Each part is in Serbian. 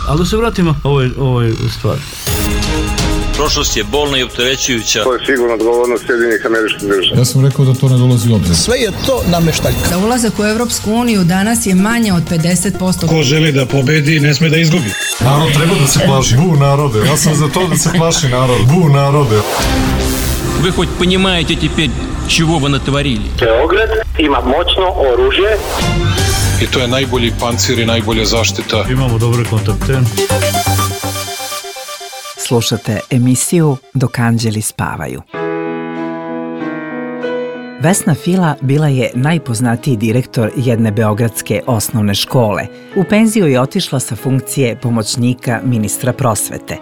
Ali da se vratimo ovoj stvari. Prošlost je bolna i opterećujuća. To je sigurno odgovornost Sjedinjenih Američkih Država. Ja sam rekao da to ne dolazi u obzir. Sve je to nameštaljka. Za ulazak u Evropsku uniju danas je manje od 50%. Ko želi da pobedi, ne sme da izgubi. Narod treba da se plaši. Bu narode. Ja sam za to da se plaši narod. Bu narode. Вы хоть понимаете теперь, чего вы натворили? Beograd ima moćno oružje. I to je najbolji pancir i najbolja zaštita. Imamo dobre kontakte. Slušate emisiju Dok anđeli spavaju. Vesna Fila bila je najpoznatiji direktor jedne beogradske osnovne škole. U penziju je otišla sa funkcije pomoćnika ministra prosvete.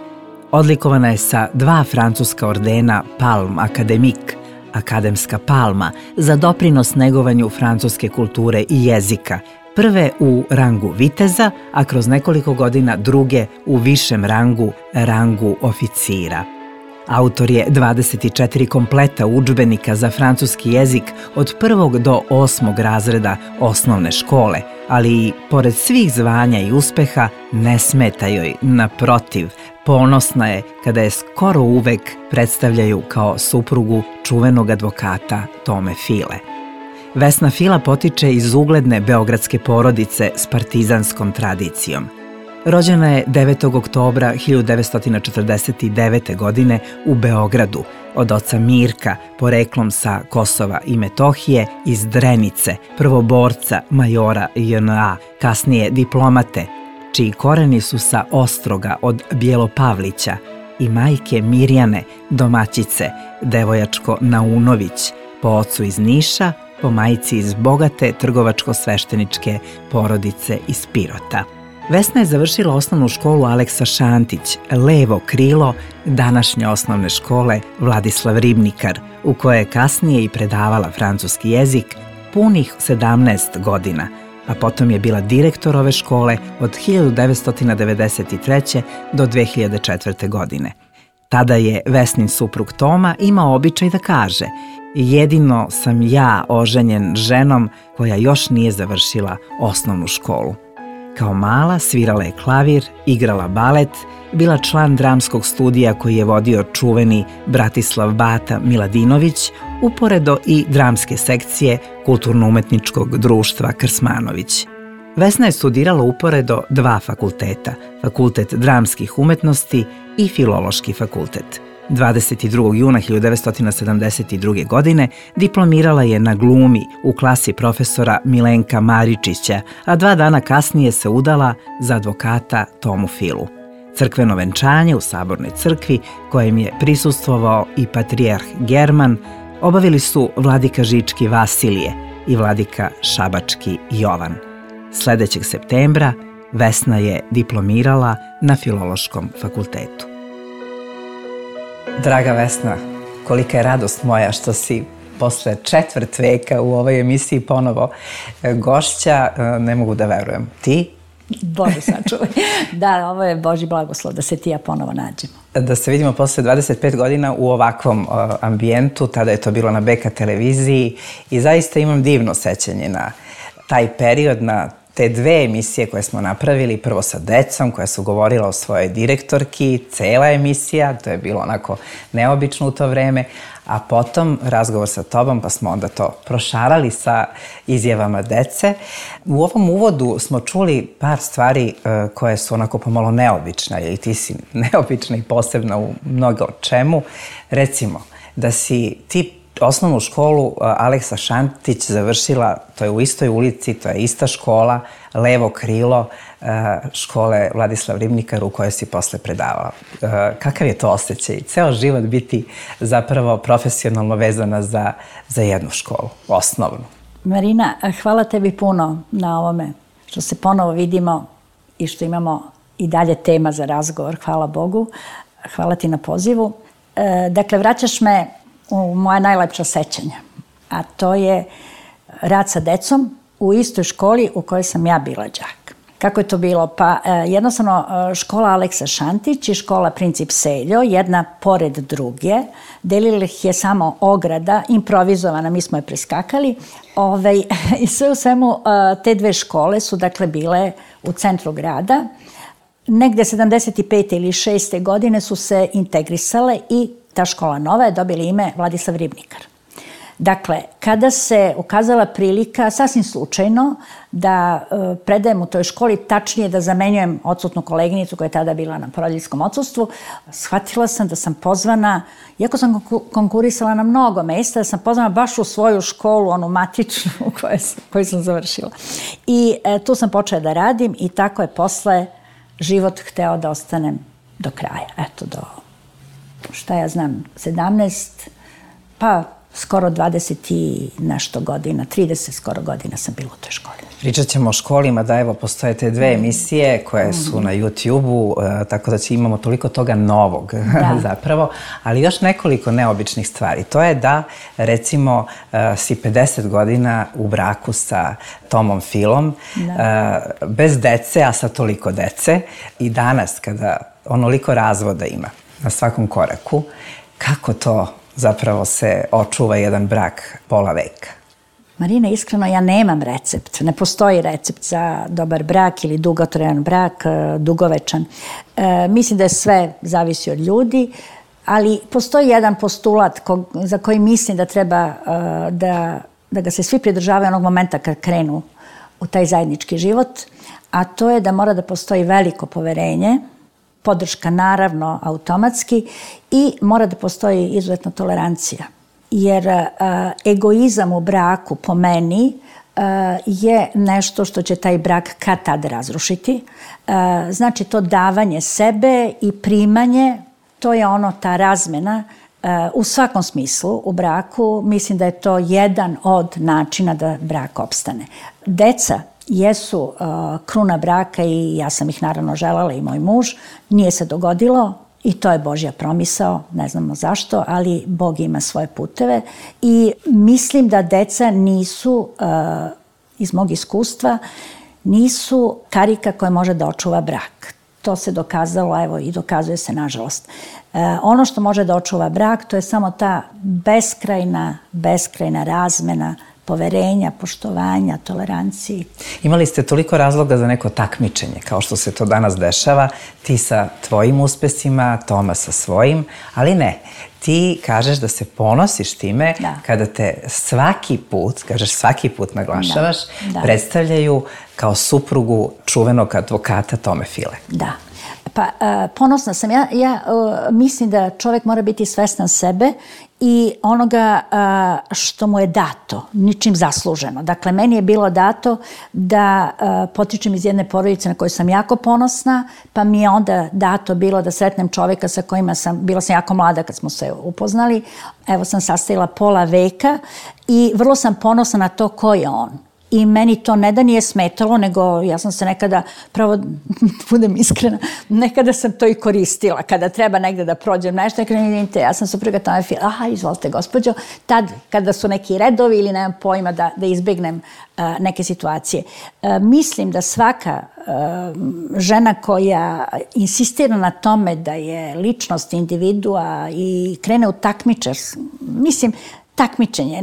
Odlikovana je sa 2 francuska ordena Palm Academique, akademska palma, za doprinos negovanju francuske kulture i jezika, prve u rangu viteza, a kroz nekoliko godina druge u višem rangu oficira. Autor je 24 kompleta udžbenika za francuski jezik od 1. do 8. razreda osnovne škole, ali i pored svih zvanja i uspeha ne smeta joj, naprotiv, ponosna je kada je skoro uvek predstavljaju kao suprugu čuvenog advokata Tome File. Vesna Fila potiče iz ugledne beogradske porodice s partizanskom tradicijom. Rođena je 9. oktobra 1949. godine u Beogradu od oca Mirka, poreklom sa Kosova i Metohije, iz Drenice, prvoborca majora JNA, kasnije diplomate, čiji koreni su sa Ostroga od Bjelopavlića, i majke Mirjane, domaćice, devojačko Naunović, po ocu iz Niša, po majci iz bogate trgovačko-svešteničke porodice iz Pirota. Vesna je završila osnovnu školu Aleksa Šantić, levo krilo današnje osnovne škole Vladislav Ribnikar, u kojoj je kasnije i predavala francuski jezik punih 17 godina, a potom je bila direktor ove škole od 1993. do 2004. godine. Tada je Vesnin suprug Toma imao običaj da kaže: jedino sam ja oženjen ženom koja još nije završila osnovnu školu. Kao mala svirala je klavir, igrala balet, bila član dramskog studija koji je vodio čuveni Bratislav Bata Miladinović, uporedo i dramske sekcije Kulturno-umetničkog društva Krsmanović. Vesna je studirala uporedo 2 fakulteta, Fakultet dramskih umetnosti i Filološki fakultet. 22. juna 1972. godine diplomirala je na glumi u klasi profesora Milenka Maričića, a 2 dana kasnije se udala za advokata Tomu Filu. Crkveno venčanje u Sabornoj crkvi, kojem je prisustvovao i patrijarh German, obavili su vladika Žički Vasilije i vladika Šabački Jovan. Sledećeg septembra Vesna je diplomirala na Filološkom fakultetu. Draga Vesna, kolika je radost moja što si posle 1/4 veka u ovoj emisiji ponovo gošća, ne mogu da verujem. Ti? Bože sačuvaj. Da, ovo je Božji blagoslov da se ti ja ponovo nađemo. Da se vidimo posle 25 godina u ovakvom ambijentu, tada je to bilo na BK televiziji i zaista imam divno sećanje na taj period, na te 2 emisije koje smo napravili, prvo sa decom koja su govorila o svojoj direktorki, cela emisija, to je bilo onako neobično u to vreme, a potom razgovor sa tobom, pa smo onda to prošarali sa izjavama dece. U ovom uvodu smo čuli par stvari koje su onako pomalo neobične, ili ti si neobična i posebna u mnogo čemu. Recimo, da si ti osnovnu školu Aleksa Šantić završila, to je u istoj ulici, to je ista škola, levo krilo škole Vladislav Ribnikar u kojoj si posle predavala. Kakav je to osjećaj? Ceo život biti zapravo profesionalno vezana za jednu školu, osnovnu. Marina, hvala tebi puno na ovome što se ponovo vidimo i što imamo i dalje tema za razgovor, hvala Bogu. Hvala ti na pozivu. Dakle, vraćaš me u moja najlepša sećanja, a to je rad sa decom u istoj školi u kojoj sam ja bila đak. Kako je to bilo? Pa jednostavno škola Aleksa Šantić i škola Princip Seljo, jedna pored druge, delila ih je samo ograda, improvizovana, mi smo je preskakali. I sve u svemu te dve škole su dakle bile u centru grada. Negde 75. ili 6. godine su se integrisale i ta škola nova je dobila ime Vladislav Ribnikar. Dakle, kada se ukazala prilika, sasvim slučajno, da predajem u toj školi, tačnije da zamenjujem odsutnu koleginicu koja je tada bila na porodiljskom odsustvu, shvatila sam da sam pozvana, iako sam konkurisala na mnogo mesta, da sam pozvana baš u svoju školu, onu matičnu koju sam završila. I tu sam počela da radim i tako je posle život hteo da ostanem do kraja. Eto, do, šta ja znam, 17, pa skoro 20 i nešto godina, 30 skoro godina sam bila u toj školi. Pričat ćemo o školima, da evo postoje te dve emisije koje su na YouTube-u, tako da imamo toliko toga novog zapravo, ali još nekoliko neobičnih stvari. To je da, recimo, si 50 godina u braku sa Tomom Filom, bez dece, a sa toliko dece, i danas kada onoliko razvoda ima na svakom koraku, kako to zapravo se očuva jedan brak pola veka? Marina, iskreno, ja nemam recept. Ne postoji recept za dobar brak ili dugotrajan brak, dugovečan. Mislim da je sve zavisi od ljudi, ali postoji jedan postulat za koji mislim da treba da ga se svi pridržavaju onog momenta kad krenu u taj zajednički život, a to je da mora da postoji veliko poverenje, podrška naravno automatski, i mora da postoji izuzetna tolerancija. Jer egoizam u braku, po meni, je nešto što će taj brak kad tad razrušiti. Znači, to davanje sebe i primanje, to je ta razmena u svakom smislu u braku. Mislim da je to jedan od načina da brak opstane. Deca jesu kruna braka i ja sam ih naravno želala, i moj muž. Nije se dogodilo i to je Božja promisao, ne znamo zašto, ali Bog ima svoje puteve i mislim da deca nisu, iz mog iskustva, nisu karika koja može da očuva brak. To se dokazalo, evo, i dokazuje se, nažalost. Ono što može da očuva brak, to je samo ta beskrajna razmena poverenja, poštovanja, tolerancije. Imali ste toliko razloga za neko takmičenje, kao što se to danas dešava, ti sa tvojim uspesima, Toma sa svojim, ali ne. Ti kažeš da se ponosiš time kada te svaki put naglašavaš, predstavljaju kao suprugu čuvenog advokata Tome File. Da. Pa ponosna sam. Ja mislim da čovjek mora biti svestan sebe i onoga što mu je dato, ničim zasluženo. Dakle, meni je bilo dato da potičem iz jedne porodice na koju sam jako ponosna, pa mi je onda dato bilo da sretnem čovjeka sa kojima bila sam jako mlada kad smo se upoznali. Evo, sam sastavila pola veka i vrlo sam ponosna na to ko je on. I meni to ne da nije smetalo, nego ja sam se nekada, pravo budem iskrena, nekada sam to i koristila. Kada treba negde da prođem nešto, ja sam supruga Tome File, aha, izvolite gospođo, tad kada su neki redovi ili nemam pojma da izbjegnem neke situacije. Mislim da svaka žena koja insistira na tome da je ličnost individua i krene u takmičarstvo, mislim, takmičenje.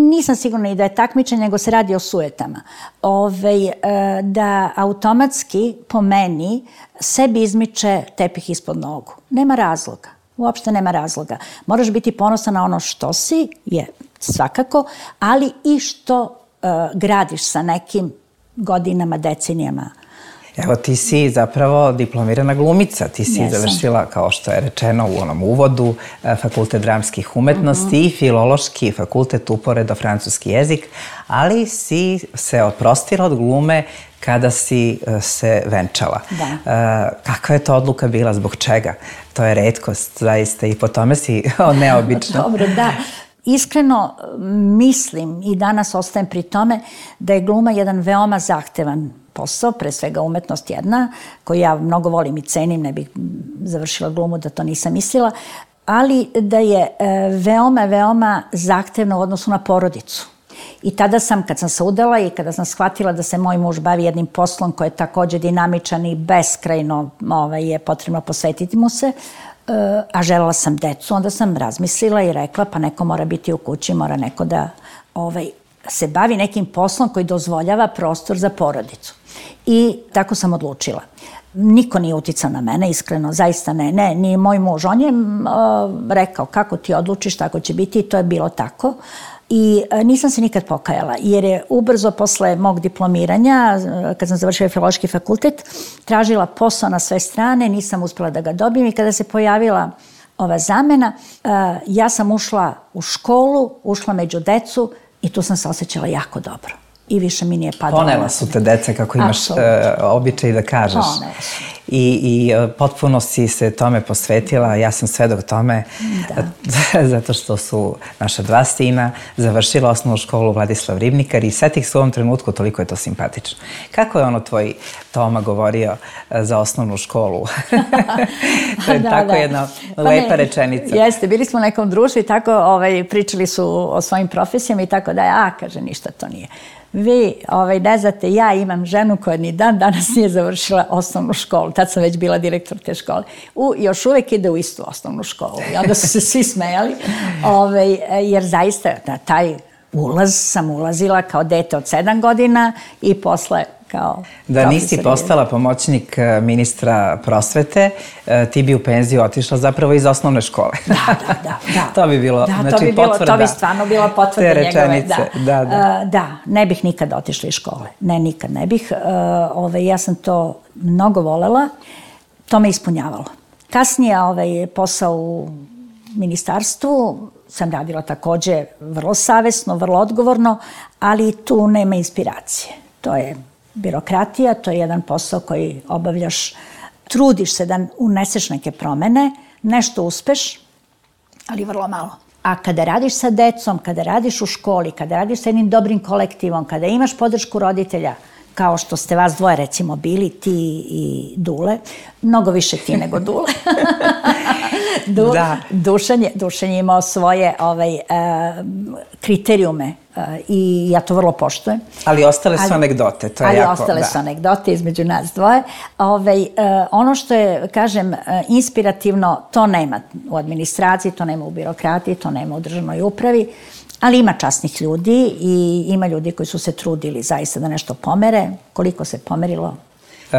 Nisam sigurna i da je takmičenje, nego se radi o sujetama. Da automatski, po meni, sebi izmiče tepih ispod nogu. Nema razloga. Uopšte nema razloga. Moraš biti ponosan na ono što si, je svakako, ali i što gradiš sa nekim godinama, decenijama. Evo, ti si zapravo diplomirana glumica. Ti si završila, kao što je rečeno u onom uvodu, Fakultet dramskih umetnosti i Filološki fakultet, uporedo francuski jezik, ali si se oprostila od glume kada si se venčala. Kakva je to odluka bila, zbog čega? To je retkost, zaista, i po tome si neobično. Dobro, da. Iskreno mislim i danas ostajem pri tome da je gluma jedan veoma zahtevan posao, pre svega umetnost jedna, koju ja mnogo volim i cenim, ne bih završila glumu da to nisam mislila, ali da je veoma, veoma zahtevna u odnosu na porodicu. I tada sam, kad sam se udala i kada sam shvatila da se moj muž bavi jednim poslom koji je takođe dinamičan i beskrajno je potrebno posvetiti mu se, a želela sam decu, onda sam razmislila i rekla pa neko mora biti u kući, mora neko da se bavi nekim poslom koji dozvoljava prostor za porodicu. I tako sam odlučila. Niko nije uticao na mene, iskreno, zaista ne, ni moj muž. On je rekao kako ti odlučiš, tako će biti i to je bilo tako. I nisam se nikad pokajala, jer je ubrzo posle mog diplomiranja, kad sam završila Filološki fakultet, tražila posao na sve strane, nisam uspela da ga dobijem i kada se pojavila ova zamena, ja sam ušla u školu, ušla među decu i tu sam se osjećala jako dobro. I više mi nije padalo. Ponela su te deca, kako imaš običaj da kažeš. Ponela su. I potpuno si se tome posvetila, ja sam svedok tome, zato što su naša dva sina završila osnovnu školu Vladislav Ribnikar i setih se u ovom trenutku, toliko je to simpatično. Kako je ono tvoj Toma govorio za osnovnu školu? To je tako jedna lepa rečenica. Jeste, bili smo u nekom društvu i tako pričali su o svojim profesijama i tako da kaže ništa to nije. Vi ne znate, ja imam ženu koja ni dan danas nije završila osnovnu školu. Tad sam već bila direktor te škole. Još uvek ide u istu osnovnu školu. I onda su se svi smejali. Jer zaista na taj ulaz sam ulazila kao dete od 7 godina i posle kao da nisi postala pomoćnik ministra prosvete, ti bi u penziju otišla zapravo iz osnovne škole. Da. To bi bilo, znači potvrda. To bi stvarno bila potvrda njegove. Te rečenice, da. Ne bih nikad otišla iz škole. Ne, nikad ne bih. Ja sam to mnogo volela. To me ispunjavalo. Kasnije posao u ministarstvu sam radila takođe vrlo savesno, vrlo odgovorno, ali tu nema inspiracije. To je birokratija, to je jedan posao koji obavljaš, trudiš se da uneseš neke promene, nešto uspeš, ali vrlo malo. A kada radiš sa decom, kada radiš u školi, kada radiš sa jednim dobrim kolektivom, kada imaš podršku roditelja, kao što ste vas dvoje recimo bili, ti i Dule, mnogo više ti nego Dule. Dušan je imao svoje kriterijume i ja to vrlo poštujem. Ali ostale su anegdote, to je jako... Ali ostale su anegdote između nas dvoje. Ono što je, kažem, inspirativno, to nema u administraciji, to nema u birokratiji, to nema u državnoj upravi, ali ima časnih ljudi i ima ljudi koji su se trudili zaista da nešto pomere. Koliko se pomerilo?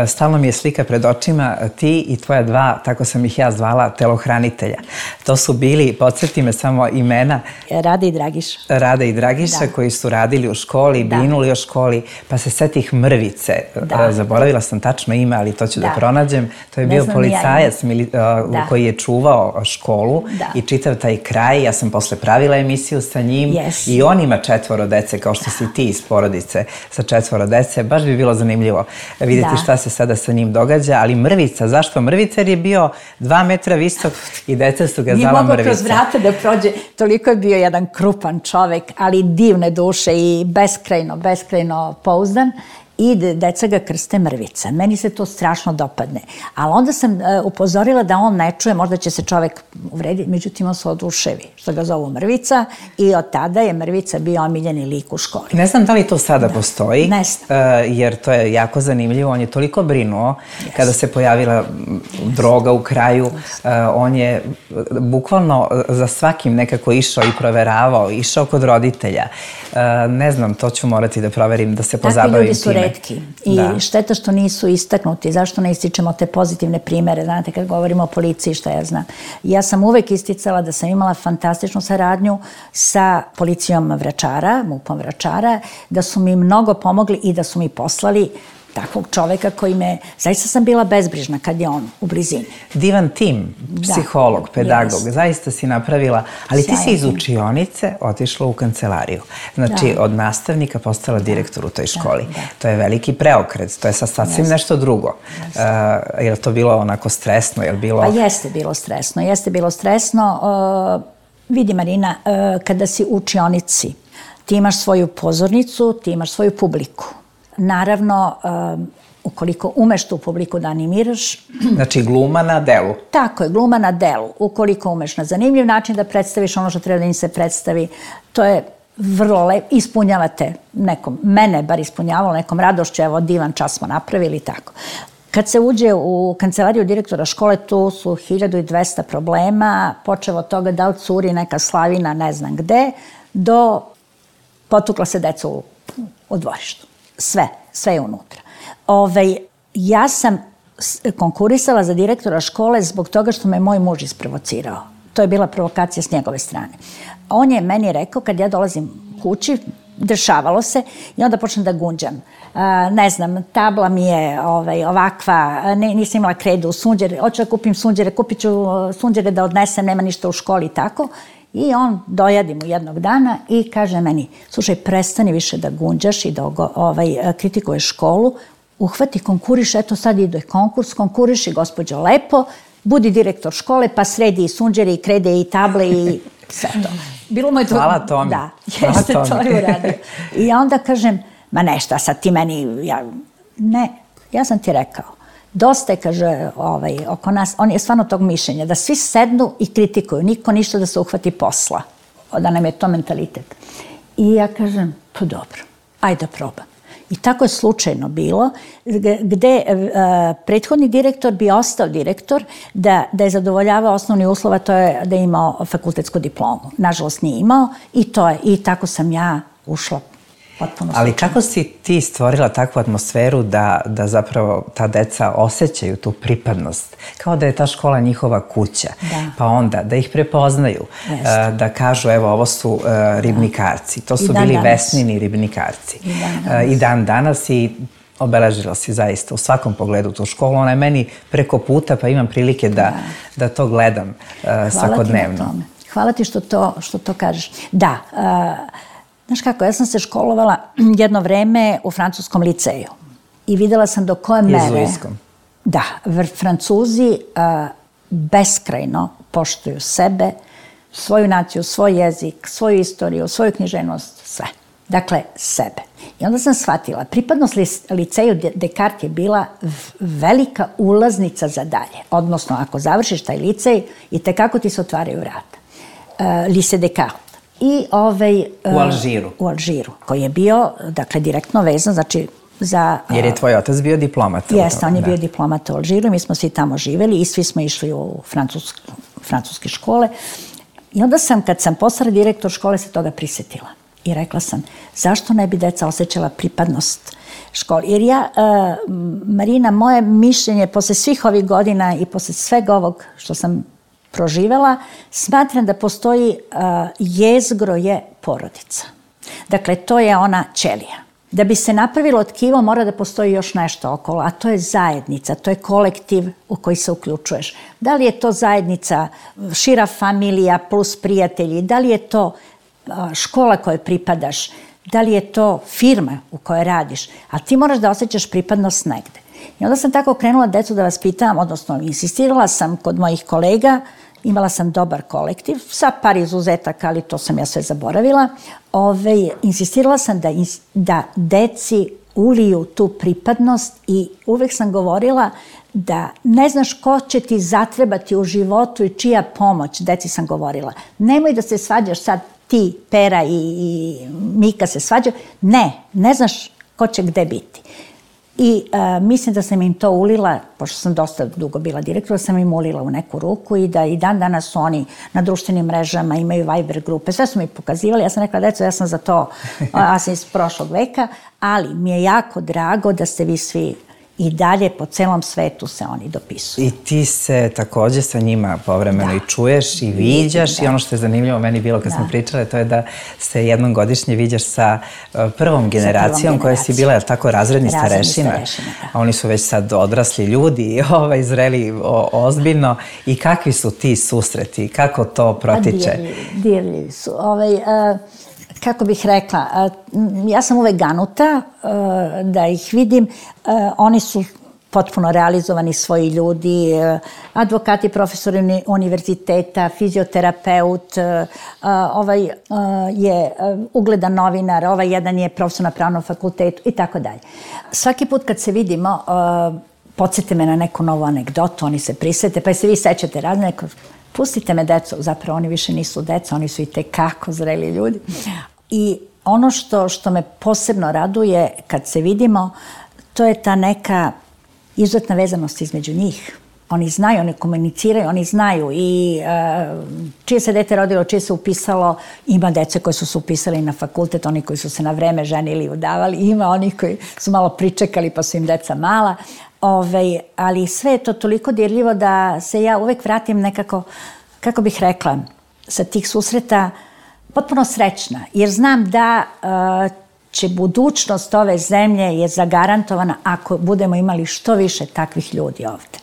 Stalno mi je slika pred očima, ti i tvoja dva, tako sam ih ja zvala, telohranitelja. To su bili, podsjeti me samo imena. Rada i Dragiša. Rada i Dragiša, koji su radili u školi, brinuli o školi, pa se setih Mrvice. Zaboravila sam tačno ime, ali to ću da pronađem. To je bio policajac koji je čuvao školu i čitav taj kraj. Ja sam posle pravila emisiju sa njim i on ima 4 dece, kao što si ti iz porodice sa 4 dece. Baš bi bilo zanimljivo vidjeti šta se sada sa njim događa, ali Mrvica, zašto Mrvica? Jer je bio 2 metra visok i deca su ga zvala Mrvica. Nije mogao kroz vrata da prođe, toliko je bio jedan krupan čovek, ali divne duše i beskrajno pouzdan. I deca ga krste Mrvica. Meni se to strašno dopadne. Ali onda sam upozorila da on ne čuje, možda će se čovek uvrediti, međutim on se oduševi što ga zovu Mrvica i od tada je Mrvica bio omiljeni lik u školi. Ne znam da li to sada postoji, ne znam. Jer to je jako zanimljivo. On je toliko brinuo kada se pojavila droga u kraju. On je bukvalno za svakim nekako išao i proveravao, išao kod roditelja. Ne znam, to ću morati da proverim, da se pozabavim time. I šteta što nisu istaknuti. Zašto ne ističemo te pozitivne primere? Znate, kad govorimo o policiji, šta ja znam. Ja sam uvek isticala da sam imala fantastičnu saradnju sa policijom Vračara, MUP-om Vračara, da su mi mnogo pomogli i da su mi poslali takvog čoveka koji me... Zaista sam bila bezbrižna kad je on u blizini. Divan tim, psiholog, pedagog, zaista si napravila, ali ti si iz učionice otišla u kancelariju. Znači, od nastavnika postala direktor u toj školi. To je veliki preokret, to je sasvim nešto drugo. Je li to bilo onako stresno? Pa jeste bilo stresno. Vidi, Marina, kada si u učionici, ti imaš svoju pozornicu, ti imaš svoju publiku. Naravno, ukoliko umeš tu publiku da animiraš... Znači, gluma na delu. Tako je, gluma na delu. Ukoliko umeš na zanimljiv način da predstaviš ono što treba da im se predstavi, to je vrlo ispunjavate nekom, mene bar ispunjavalo nekom radošću, evo divan čas smo napravili, tako. Kad se uđe u kancelariju direktora škole, tu su 1200 problema, počevo od toga da li curi neka slavina ne znam gde, do potukla se deca u dvorištu. Sve je unutra. Ja sam konkurisala za direktora škole zbog toga što me moj muž isprovocirao. To je bila provokacija s njegove strane. On je meni rekao, kad ja dolazim kući, dešavalo se, i onda počnem da gunđam. Ne znam, tabla mi je ovakva, nisam imala kredu, sunđere, hoću da kupim sunđere, kupit ću sunđere da odnesem, nema ništa u školi i tako. I on dojadi mu jednog dana i kaže meni, slušaj, prestani više da gunđaš i da kritikuješ školu, uhvati, konkuriš, eto sad ide konkurs, konkuriši, gospođo, lepo, budi direktor škole, pa sredi i sunđere, i krede, i table, i sve to. Bilo mu je to... Hvala Tomi. Da, jeste to je uradio. I onda kažem, ma nešta, sad ti meni... Ne, ja sam ti rekao, dosta je, kaže, oko nas, on je stvarno tog mišljenja, da svi sednu i kritikuju, niko ništa da se uhvati posla, da nam je to mentalitet. I ja kažem, pa dobro, ajde da probam. I tako je slučajno bilo, gde prethodni direktor bi ostao direktor da je zadovoljavao osnovni uslov, a to je da je imao fakultetsku diplomu. Nažalost nije imao i tako sam ja ušla. Ali kako si ti stvorila takvu atmosferu da zapravo ta deca osjećaju tu pripadnost, kao da je ta škola njihova kuća, pa onda da ih prepoznaju, da kažu evo ovo su ribnikarci, to su bili Vesnini ribnikarci. I dan danas i obeležila si zaista u svakom pogledu tu školu, ona je meni preko puta pa imam prilike da to gledam svakodnevno. Hvala ti što to kažeš. Da, znaš kako, ja sam se školovala jedno vreme u francuskom liceju i videla sam do koje mere... Jezuitskom. Da, Francuzi beskrajno poštuju sebe, svoju naciju, svoj jezik, svoju istoriju, svoju književnost, sve. Dakle, sebe. I onda sam shvatila, pripadnost liceju Descartes je bila velika ulaznica za dalje. Odnosno, ako završiš taj licej, i tekako ti se otvaraju vrata. Lycée Descartes. U Alžiru. U Alžiru, koji je bio, dakle, direktno vezan, znači, za... Jer je tvoj otac bio diplomata. Jeste, on je bio diplomata u Alžiru i mi smo svi tamo živjeli i svi smo išli u francuske škole. I onda sam, kad sam postala direktor škole, se toga prisjetila. I rekla sam, zašto ne bi deca osjećala pripadnost školi? Jer ja, Marina, moje mišljenje, posle svih ovih godina i posle svega ovog što sam proživela, smatram da postoji jezgro je porodica. Dakle, to je ona ćelija. Da bi se napravilo tkivo, mora da postoji još nešto okolo, a to je zajednica, to je kolektiv u koji se uključuješ. Da li je to zajednica, šira familija plus prijatelji, da li je to škola kojoj pripadaš, da li je to firma u kojoj radiš, ali ti moraš da osjećaš pripadnost negde. I onda sam tako krenula decu da vas pitam, odnosno insistirala sam kod mojih kolega, imala sam dobar kolektiv, sa par izuzetaka, ali to sam ja sve zaboravila. Insistirala sam da deci uliju tu pripadnost i uvek sam govorila da ne znaš ko će ti zatrebati u životu i čija pomoć, deci sam govorila. Nemoj da se svađaš sad ti, Pera i Mika se svađaju. Ne znaš ko će gde biti. I mislim da sam im to ulila, pošto sam dosta dugo bila direktora, sam im ulila u neku ruku i da i dan danas su oni na društvenim mrežama, imaju Viber grupe, sve su mi pokazivali. Ja sam rekla, deco, ja sam za to, ja sam iz prošlog veka, ali mi je jako drago da ste vi svi i dalje po celom svetu se oni dopisuju. I ti se takođe sa njima povremeno i čuješ i viđaš i ono što je zanimljivo meni bilo kad smo pričale, to je da se jednom godišnje viđaš sa prvom generacijom koja si bila, tako, razredni starešina. A oni su već sad odrasli ljudi, zreli ozbiljno. I kakvi su ti susreti? Kako to protiče? Dirljivi su. Kako bih rekla, ja sam uvek ganuta da ih vidim. Oni su potpuno realizovani svoji ljudi, advokati, profesori univerziteta, fizioterapeut, ovaj je ugledan novinar, ovaj jedan je profesor na pravnom fakultetu i tako dalje. Svaki put kad se vidimo, podsjete me na neku novu anegdotu, oni se prisete, pa se vi sećate razne. Pustite me, deco, zapravo oni više nisu deca, oni su i tekako zreli ljudi. I ono što me posebno raduje kad se vidimo, to je ta neka izuzetna vezanost između njih. Oni znaju, oni komuniciraju, oni znaju i čije se dete rodilo, čije se upisalo, ima dece koji su se upisali na fakultet, oni koji su se na vreme ženili i udavali, ima onih koji su malo pričekali pa su im deca mala, ali sve je to toliko dirljivo da se ja uvek vratim nekako, kako bih rekla, sa tih susreta potpuno srećna, jer znam da će budućnost ove zemlje je zagarantovana ako budemo imali što više takvih ljudi ovde.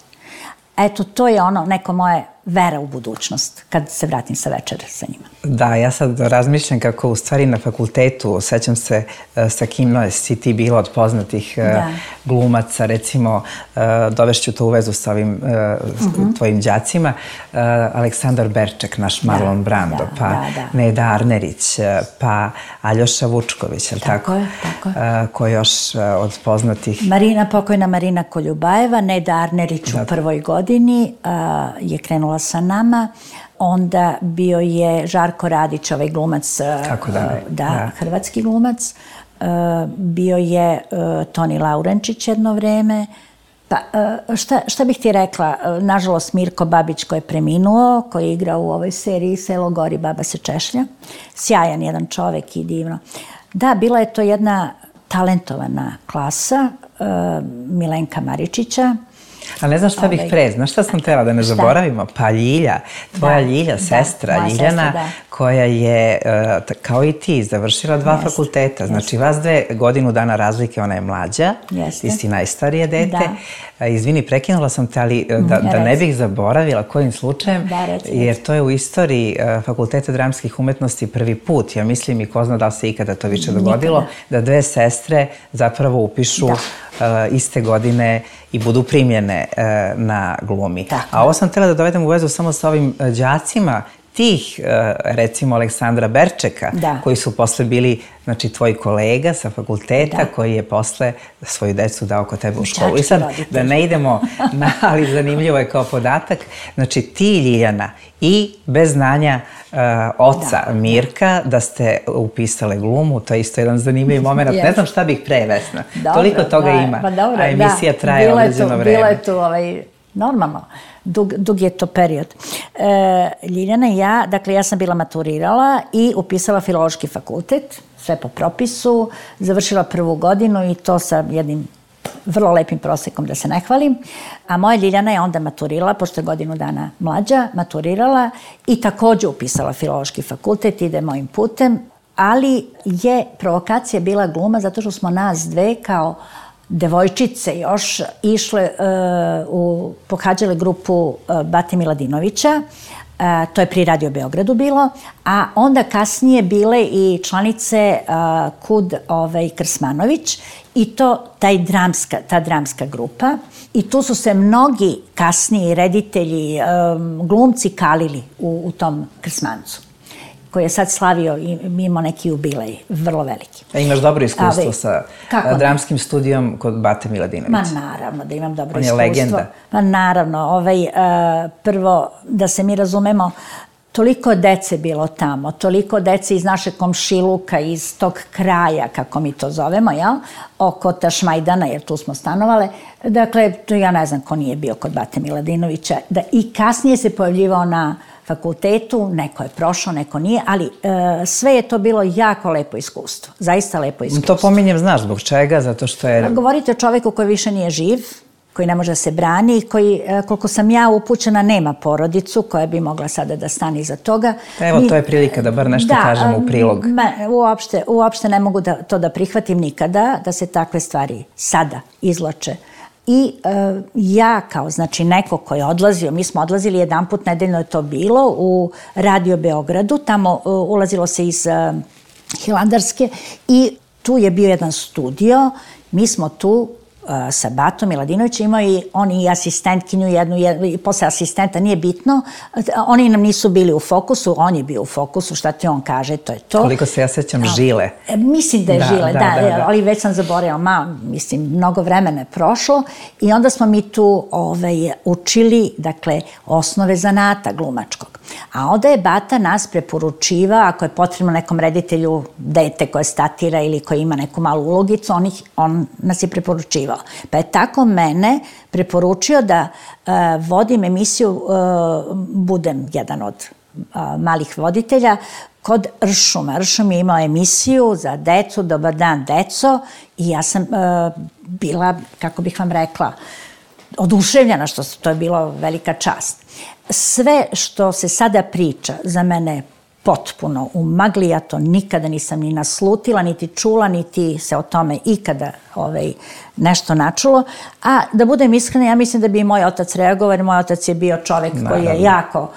Eto, to je ono neko moje vera u budućnost kad se vratim sa večere sa njima. Da, ja sad razmišljam kako u stvari na fakultetu, sećam se sa kim si ti bila od poznatih glumaca, recimo, dovešću to u vezu sa ovim tvojim đacima, Aleksandar Berček, naš Marlon Brando, pa Neda Arnerić, pa Aljoša Vučković, je li tako? Tako je, tako je. Ko još od poznatih? Pokojna Marina Koljubajeva, Neda Arnerić u prvoj godini je krenula sa nama. Onda bio je Žarko Radić, ovaj glumac, hrvatski glumac. Bio je Toni Laurenčić jedno vreme. Pa, šta bih ti rekla? Nažalost, Mirko Babić koji je preminuo, koji je igrao u ovoj seriji Selo gori, baba se češlja. Sjajan jedan čovek i divno. Da, bila je to jedna talentovana klasa Milenka Maričića. A ne znam šta bih pre, znaš šta sam tela da ne zaboravimo? Pa Ljilja, tvoja Ljilja, sestra Ljiljana, koja je, kao i ti, završila 2 fakulteta. Znači, vas 2 godinu dana razlike, ona je mlađa, ti si najstarije dete. Izvini, prekinula sam te, ali da ne bih zaboravila kojim slučajem, jer to je u istoriji Fakulteta dramskih umetnosti prvi put, ja mislim, i ko zna da li se ikada to više dogodilo, da 2 sestre zapravo upišu iste godine i budu primljene na glumi. A ovo sam htjela da dovedem u vezu samo sa ovim đacima tih, recimo, Aleksandra Berčeka, koji su posle bili, znači, tvoji kolega sa fakulteta, koji je posle svoju decu dao kod tebe u školu. I sad, da ne idemo, ali zanimljivo je kao podatak, znači, ti, Ljiljana, i bez znanja oca Mirka, da ste upisale glumu, to je isto jedan zanimljiv moment. Ne znam šta bih pre, Vesna. Toliko toga ima, a emisija traje određeno vreme. Bilo je tu normalno. Dug je to period. Ljiljana i ja, dakle, ja sam bila maturirala i upisala Filološki fakultet, sve po propisu, završila prvu godinu i to sa jednim vrlo lepim prosekom, da se ne hvalim. A moja Ljiljana je onda maturirala, pošto je godinu dana mlađa, maturirala i takođe upisala Filološki fakultet, ide mojim putem, ali je provokacija bila gluma zato što smo nas 2 kao devojčice još išle, pohađale grupu Bate Miladinovića, to je pri Radio Beogradu bilo, a onda kasnije bile i članice KUD Krsmanović i to ta dramska grupa. I tu su se mnogi kasniji reditelji, glumci kalili u tom Krsmancu, koji je sad slavio i imao neki jubilej, vrlo veliki. A imaš dobro iskustvo sa dramskim studijom kod Bate Miladinovića? Ma naravno da imam dobro iskustvo. On je legenda. Ma naravno, prvo da se mi razumemo, toliko dece bilo tamo, toliko dece iz našeg komšiluka, iz tog kraja, kako mi to zovemo, oko Tašmajdana, jer tu smo stanovale. Dakle, ja ne znam ko nije bio kod Bate Miladinovića. I kasnije se pojavljivao na fakultetu, neko je prošao, neko nije, ali sve je to bilo jako lepo iskustvo. Zaista lepo iskustvo. To pominjem, znaš zbog čega? Zato što je... Govorite o čoveku koji više nije živ, koji ne može da se brani, koji, koliko sam ja upućena, nema porodicu koja bi mogla sada da stane iza toga. Evo, to je prilika da bar nešto kažemo u prilog. Uopšte ne mogu to da prihvatim nikada, da se takve stvari sada izvlače. I ja kao, znači, neko koji je odlazio, mi smo odlazili jedanput nedeljno je to bilo u Radio Beogradu, tamo ulazilo se iz Hilandarske i tu je bio jedan studio, mi smo tu sa Batom Miladinovićem, imao i on i asistentkinju jednu, i posle asistenta, nije bitno. Oni nam nisu bili u fokusu, on je bio u fokusu, šta ti on kaže, to je to. Koliko se ja sećam, Žile. Mislim da je Žile, da, ali već sam zaboravila, mislim, mnogo vremena je prošlo i onda smo mi tu učili, dakle, osnove zanata glumačkog. A onda je Bata nas preporučivao, ako je potrebno nekom reditelju dete koje statira ili koje ima neku malu ulogicu, on nas je preporučivao. Pa je tako mene preporučio da vodim emisiju, budem jedan od malih voditelja, kod Ršuma. Ršum je imao emisiju za decu, Dobar dan, deco, i ja sam bila, kako bih vam rekla, oduševljena, što to je bilo velika čast. Sve što se sada priča za mene je potpuno u magli, ja to nikada nisam ni naslutila, niti čula, niti se o tome ikada nešto načulo. A da budem iskrena, ja mislim da bi i moj otac reagovao, jer moj otac je bio čovek koji je jako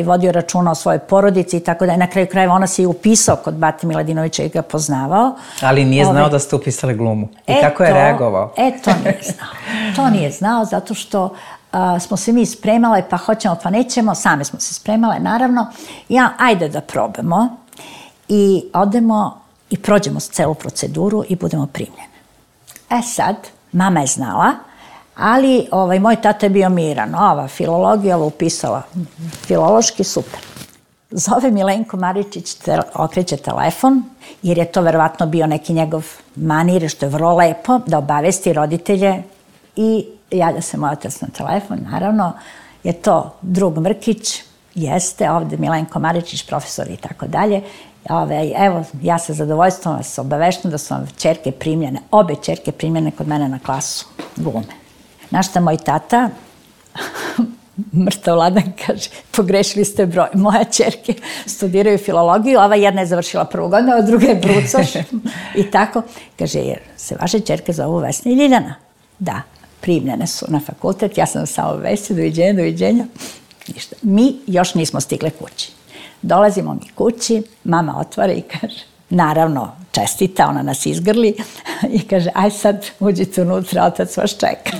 vodio računa o svojoj porodici i tako da je na kraju krajeva ona se i upisao kod Bate Miladinovića i ga poznavao. Ali nije znao da ste upisali glumu. I kako je reagovao? To nije znao. To nije znao zato što smo se mi spremale, pa hoćemo, pa nećemo, same smo se spremale, naravno. Ajde da probamo i odemo i prođemo celu proceduru i budemo primljene. Sad, mama je znala, ali moj tata je bio miran. Ova filologija, ova upisala filološki, super. Zove Milenko Maričić, okreće telefon, jer je to verovatno bio neki njegov manir, što je vrlo lepo, da obavesti roditelje i javlja se moj otac na telefon, naravno, je to drug Mrkić, jeste, ovde Milenko Maričić, profesor i tako dalje. Evo, ja sa zadovoljstvom vas obaveštam da su vam ćerke primljene, obe ćerke primljene kod mene na klasu glume. Znaš šta moj tata, mrtav Vladan, kaže, pogrešili ste broj. Moja ćerke studiraju filologiju, ova jedna je završila prvu godinu, a druga je brucoš i tako. Kaže, jer se vaše ćerke zovu Vesna i Ljiljana? Da. Primljene su na fakultet, ja sam samo vesti, doviđenja. Ništa. Mi još nismo stigle kući. Dolazimo mi kući, mama otvara i kaže, naravno, čestita, ona nas izgrli i kaže, aj sad uđite unutra, otac vas čeka.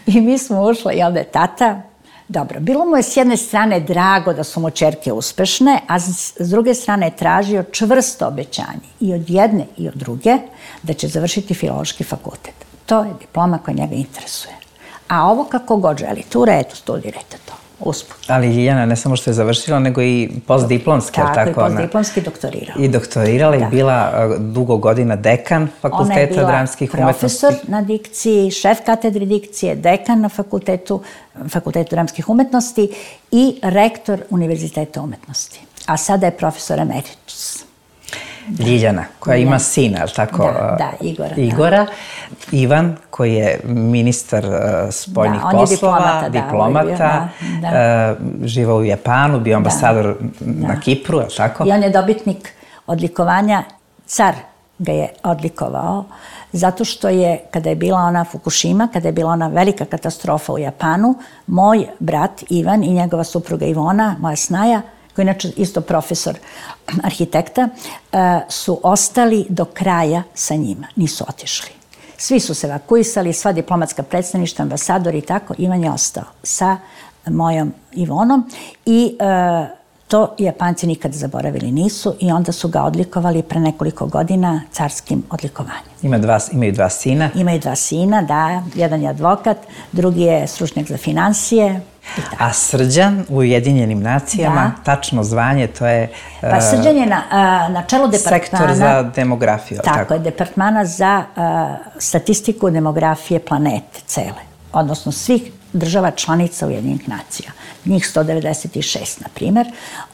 I mi smo ušli i onda je tata, dobro, bilo mu je s jedne strane drago da su mu ćerke uspešne, a s druge strane je tražio čvrsto obećanje i od jedne i od druge da će završiti filološki fakultet. To je diploma koja njega interesuje. A ovo kako god želite, u redu, studirajte to, usput. Ali Ljiljana ne samo što je završila, nego i postdiplomski, tako? Tako, i postdiplomski doktorirala. I doktorirala i bila dugo godina dekan Fakulteta dramskih umetnosti. Ona je bila profesor na dikciji, šef katedre dikcije, dekan na Fakultetu dramskih umetnosti i rektor Univerziteta umetnosti. A sada je profesor emeritus. Ljiljana, koja ima sina, je li tako? Da, Igora. Ivan, koji je ministar spoljnih poslova, diplomata, živao u Japanu, bio ambasador na Kipru, je li tako? I on je dobitnik odlikovanja, car ga je odlikovao, zato što je, kada je bila ona Fukushima, kada je bila ona velika katastrofa u Japanu, moj brat Ivan i njegova supruga Ivona, moja snaja, koji je inače isto profesor arhitekta, su ostali do kraja sa njima, nisu otišli. Svi su se evakuisali, sva diplomatska predstavništva, ambasadori i tako, Ivan je ostao sa mojom Ivonom i to Japanci nikad zaboravili nisu i onda su ga odlikovali pre nekoliko godina carskim odlikovanjem. Imaju dva sina? Imaju dva sina, da. Jedan je advokat, drugi je stručnjak za finansije. A Srđan u Ujedinjenim nacijama, tačno zvanje, to je... Pa Srđan je na čelu departmana... Sektor za demografiju. Tako je, departmana za statistiku demografije planete cele, odnosno svih država članica Ujedinjenih nacija. Njih 196, na primer.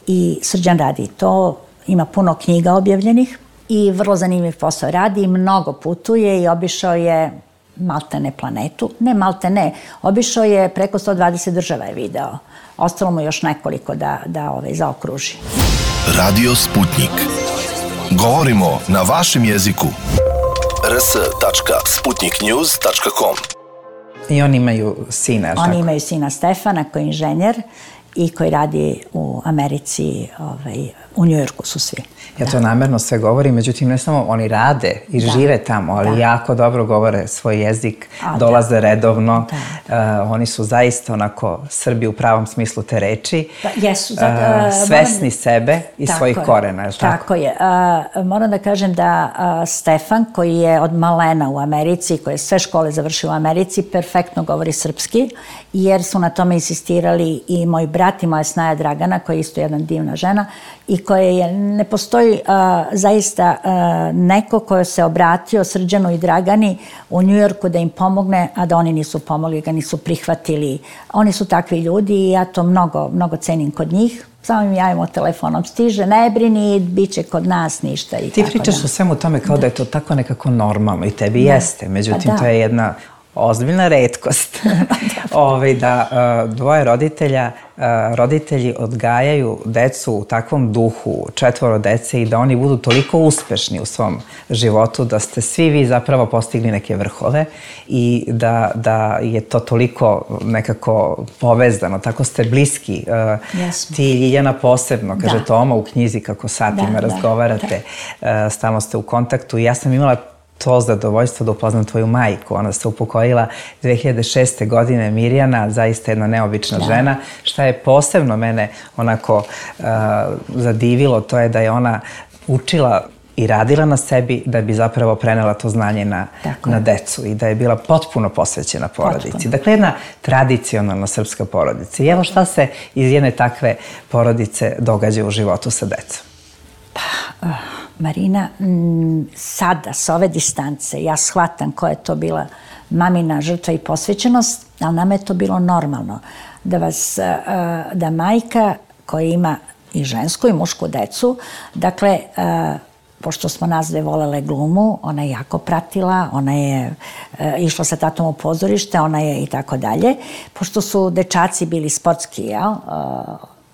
I Srđan radi to, ima puno knjiga objavljenih i vrlo zanimljiv posao radi, mnogo putuje i obišao je maltene planetu. Ne maltene, obišao je preko 120 država je video. Ostalo mu još nekoliko da zaokruži. Radio Sputnik. Govorimo na vašem jeziku. rs.sputniknews.com. I oni imaju sina, Oni imaju sina Stefana koji je inženjer i koji radi u Americi, u Njujorku su svi. Ja to namerno sve govorim, međutim ne samo oni rade i žive tamo, ali jako dobro govore svoj jezik, dolaze redovno. Oni su zaista onako Srbi u pravom smislu te reči. Jesu. Svesni sebe i svojih korena, je li tako? Tako je. Moram da kažem da Stefan, koji je od malena u Americi, koji je sve škole završio u Americi, perfektno govori srpski, jer su na tome insistirali i moj brat i moja snaja Dragana, koja je isto jedna divna žena i koja je, ne postoji zaista neko ko se obratio Srđanu i Dragani u Njujorku da im pomogne, a da oni nisu pomogli, ga nisu prihvatili. Oni su takvi ljudi i ja to mnogo cenim kod njih. Samo im javimo telefonom, stiže, ne brini, bit će kod nas ništa. Ti pričaš o svemu tome kao da je to tako nekako normalno i tebi jeste, međutim to je jedna ozbiljna retkost da dvoje roditelji odgajaju decu u takvom duhu, 4 dece i da oni budu toliko uspešni u svom životu da ste svi vi zapravo postigli neke vrhove i da je to toliko nekako povezano, tako ste bliski. Ti, Ljiljana, posebno, kaže Toma u knjizi kako satima razgovarate, stalno ste u kontaktu i ja sam imala to zadovoljstvo da upoznam tvoju majku. Ona se upokojila 2006. godine, Mirjana, zaista jedna neobična žena. Šta je posebno mene onako zadivilo, to je da je ona učila i radila na sebi da bi zapravo prenela to znanje na decu i da je bila potpuno posvećena porodici. Dakle, jedna tradicionalna srpska porodica. I evo šta se iz jedne takve porodice događa u životu sa decom. Marina, sada, sa ove distance, ja shvatam koja je to bila mamina žrtva i posvećenost, ali nama je to bilo normalno. Da majka koja ima i žensku i mušku decu, dakle, pošto smo nas dve volele glumu, ona je jako pratila, ona je išla sa tatom u pozorište, ona je i tako dalje. Pošto su dečaci bili sportski,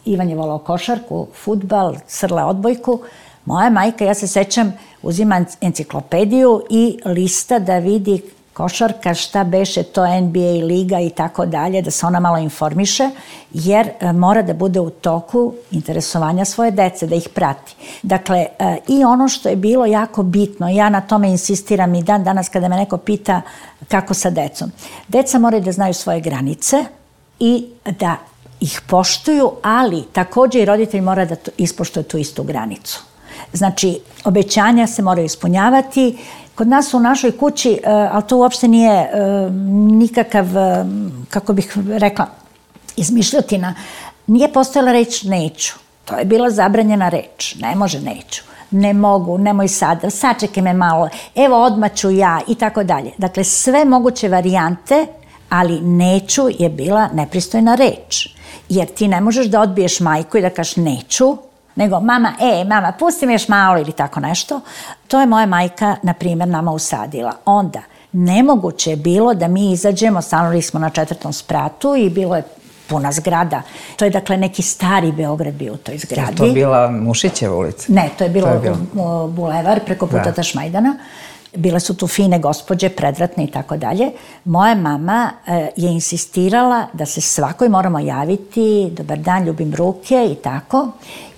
Ivan je volao košarku, fudbal, Srle odbojku, moja majka, ja se sećam, uzima enciklopediju i lista da vidi košarka, šta beše to NBA liga i tako dalje, da se ona malo informiše, jer mora da bude u toku interesovanja svoje dece, da ih prati. Dakle, i ono što je bilo jako bitno, ja na tome insistiram i dan danas kada me neko pita kako sa decom. Deca moraju da znaju svoje granice i da ih poštuju, ali takođe i roditelj mora da ispoštuje tu istu granicu. Znači, obećanja se moraju ispunjavati. Kod nas u našoj kući, ali to uopšte nije nikakav, kako bih rekla, izmišljotina, nije postojala reč neću. To je bila zabranjena reč. Ne može neću. Ne mogu, nemoj sad, sačekaj me malo, evo odmah ću ja i tako dalje. Dakle, sve moguće varijante, ali neću je bila nepristojna reč. Jer ti ne možeš da odbiješ majku i da kažeš neću, nego mama, pusti me još malo ili tako nešto. To je moja majka, na primjer, nama usadila. Onda, nemoguće je bilo da mi izađemo, stanovali smo na 4. spratu i bilo je puna zgrada. To je, dakle, neki stari Beograd bio u toj zgradi. Je to bila Mušićeva ulica? Ne, to je bilo bulevar preko puta Tašmajdana. Bile su tu fine gospođe, predratne i tako dalje. Moja mama je insistirala da se svakoj moramo javiti, dobar dan, ljubim ruke i tako.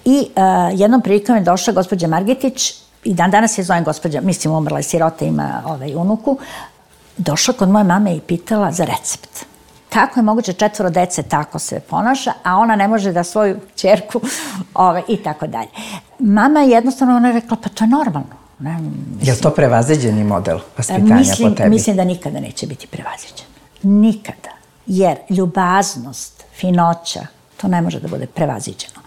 I jednom prilikom je došla gospođa Margetić, i dan danas je zovem gospođa, mislim umrla je sirota, ima unuku, došla kod moje mame i pitala za recept. Kako je moguće 4 dece tako se ponaša, a ona ne može da svoju ćerku i tako dalje. Mama jednostavno ona rekla, pa to je normalno. Je li to prevaziđeni model vaspitanja po tebi? Mislim da nikada neće biti prevaziđen. Nikada. Jer ljubaznost, finoća, to ne može da bude prevaziđeno.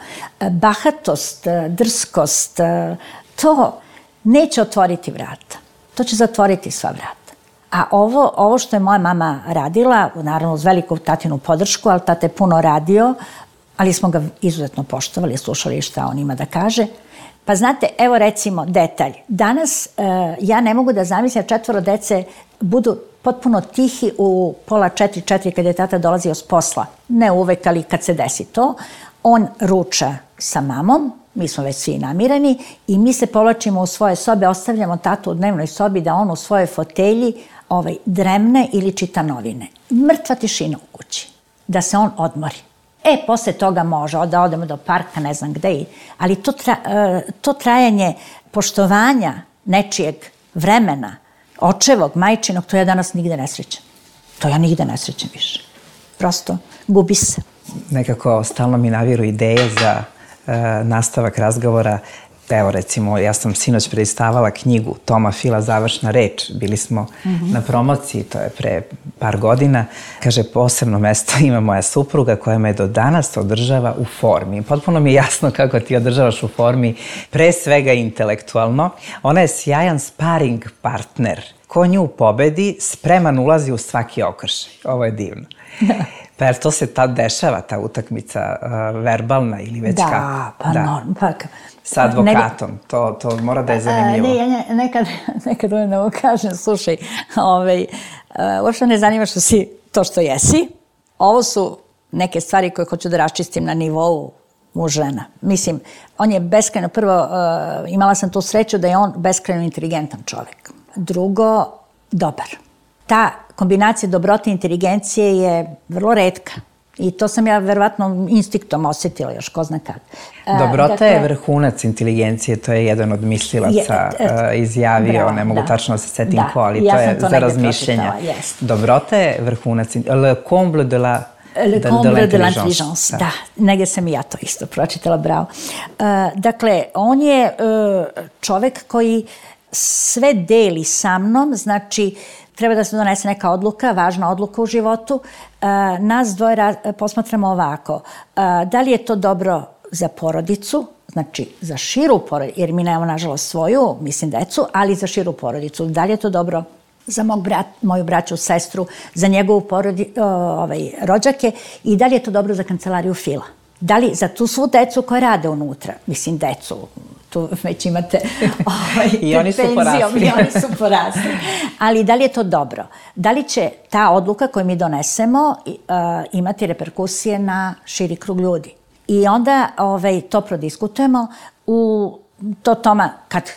Bahatost, drskost, to neće otvoriti vrata. To će zatvoriti sva vrata. A ovo što je moja mama radila, naravno uz veliku tatinu podršku, ali tate je puno radio, ali smo ga izuzetno poštovali, slušali šta on ima da kaže. Pa znate, evo recimo detalj. Danas ja ne mogu da zamislim 4 dece budu potpuno tihi u 3:30, 4 kad je tata dolazio s posla. Ne uvek, ali kad se desi to. On ruča sa mamom, mi smo već svi namireni i mi se povlačimo u svoje sobe, ostavljamo tatu u dnevnoj sobi da on u svojoj fotelji dremne ili čita novine. Mrtva tišina u kući. Da se on odmori. Posle toga može da odemo do parka, ne znam gde, ali to trajanje poštovanja nečijeg vremena, očevog, majčinog, to ja danas nigde ne srećem. To ja nigde ne srećem više. Prosto, gubi se. Nekako stalno mi naviru ideje za nastavak razgovora. Evo, recimo, ja sam sinoć prelistavala knjigu Toma Fila Završna reč. Bili smo na promociji, to je pre par godina. Kaže, posebno mesto ima moja supruga koja me do danas održava u formi. Potpuno mi je jasno kako ti održavaš u formi, pre svega intelektualno. Ona je sjajan sparing partner. Ko nju pobedi, spreman ulazi u svaki okršaj. Ovo je divno. Pa jer to se tad dešava, ta utakmica verbalna ili već kako? Pa sa advokatom, to mora da je zanimljivo. Nekad ovo kažem, slušaj, uopšte ne zanima što si to što jesi. Ovo su neke stvari koje hoću da raščistim na nivou muž-žena. Mislim, on je beskrajno, prvo, imala sam tu sreću da je on beskrajno inteligentan čovek. Drugo, dobar. Ta kombinacija dobrote i inteligencije je vrlo retka. I to sam ja verovatno instinktom osetila još, ko zna kad. Dobrota je vrhunac inteligencije, to je jedan od mislilaca izjavio, ne mogu tačno se setim ko, ali to je za razmišljenja. Dobrota je vrhunac, le comble de la l'intelligence. Da, negdje sam i ja to isto pročitala, bravo. Dakle, on je čovek koji sve deli sa mnom, znači treba da se donese neka odluka, važna odluka u životu. Nas dvoje posmatramo ovako. Da li je to dobro za porodicu, znači za širu porodicu, jer mi nemamo nažalost svoju, mislim decu, ali za širu porodicu. Da li je to dobro za moju braću, sestru, za njegovu rođake i da li je to dobro za kancelariju Fila? Da li za tu svu decu koja rade unutra, mislim decu, tu već imate I oni su porasli. Ali da li je to dobro? Da li će ta odluka koju mi donesemo imati reperkusije na širi krug ljudi? I onda to prodiskutujemo. To Toma,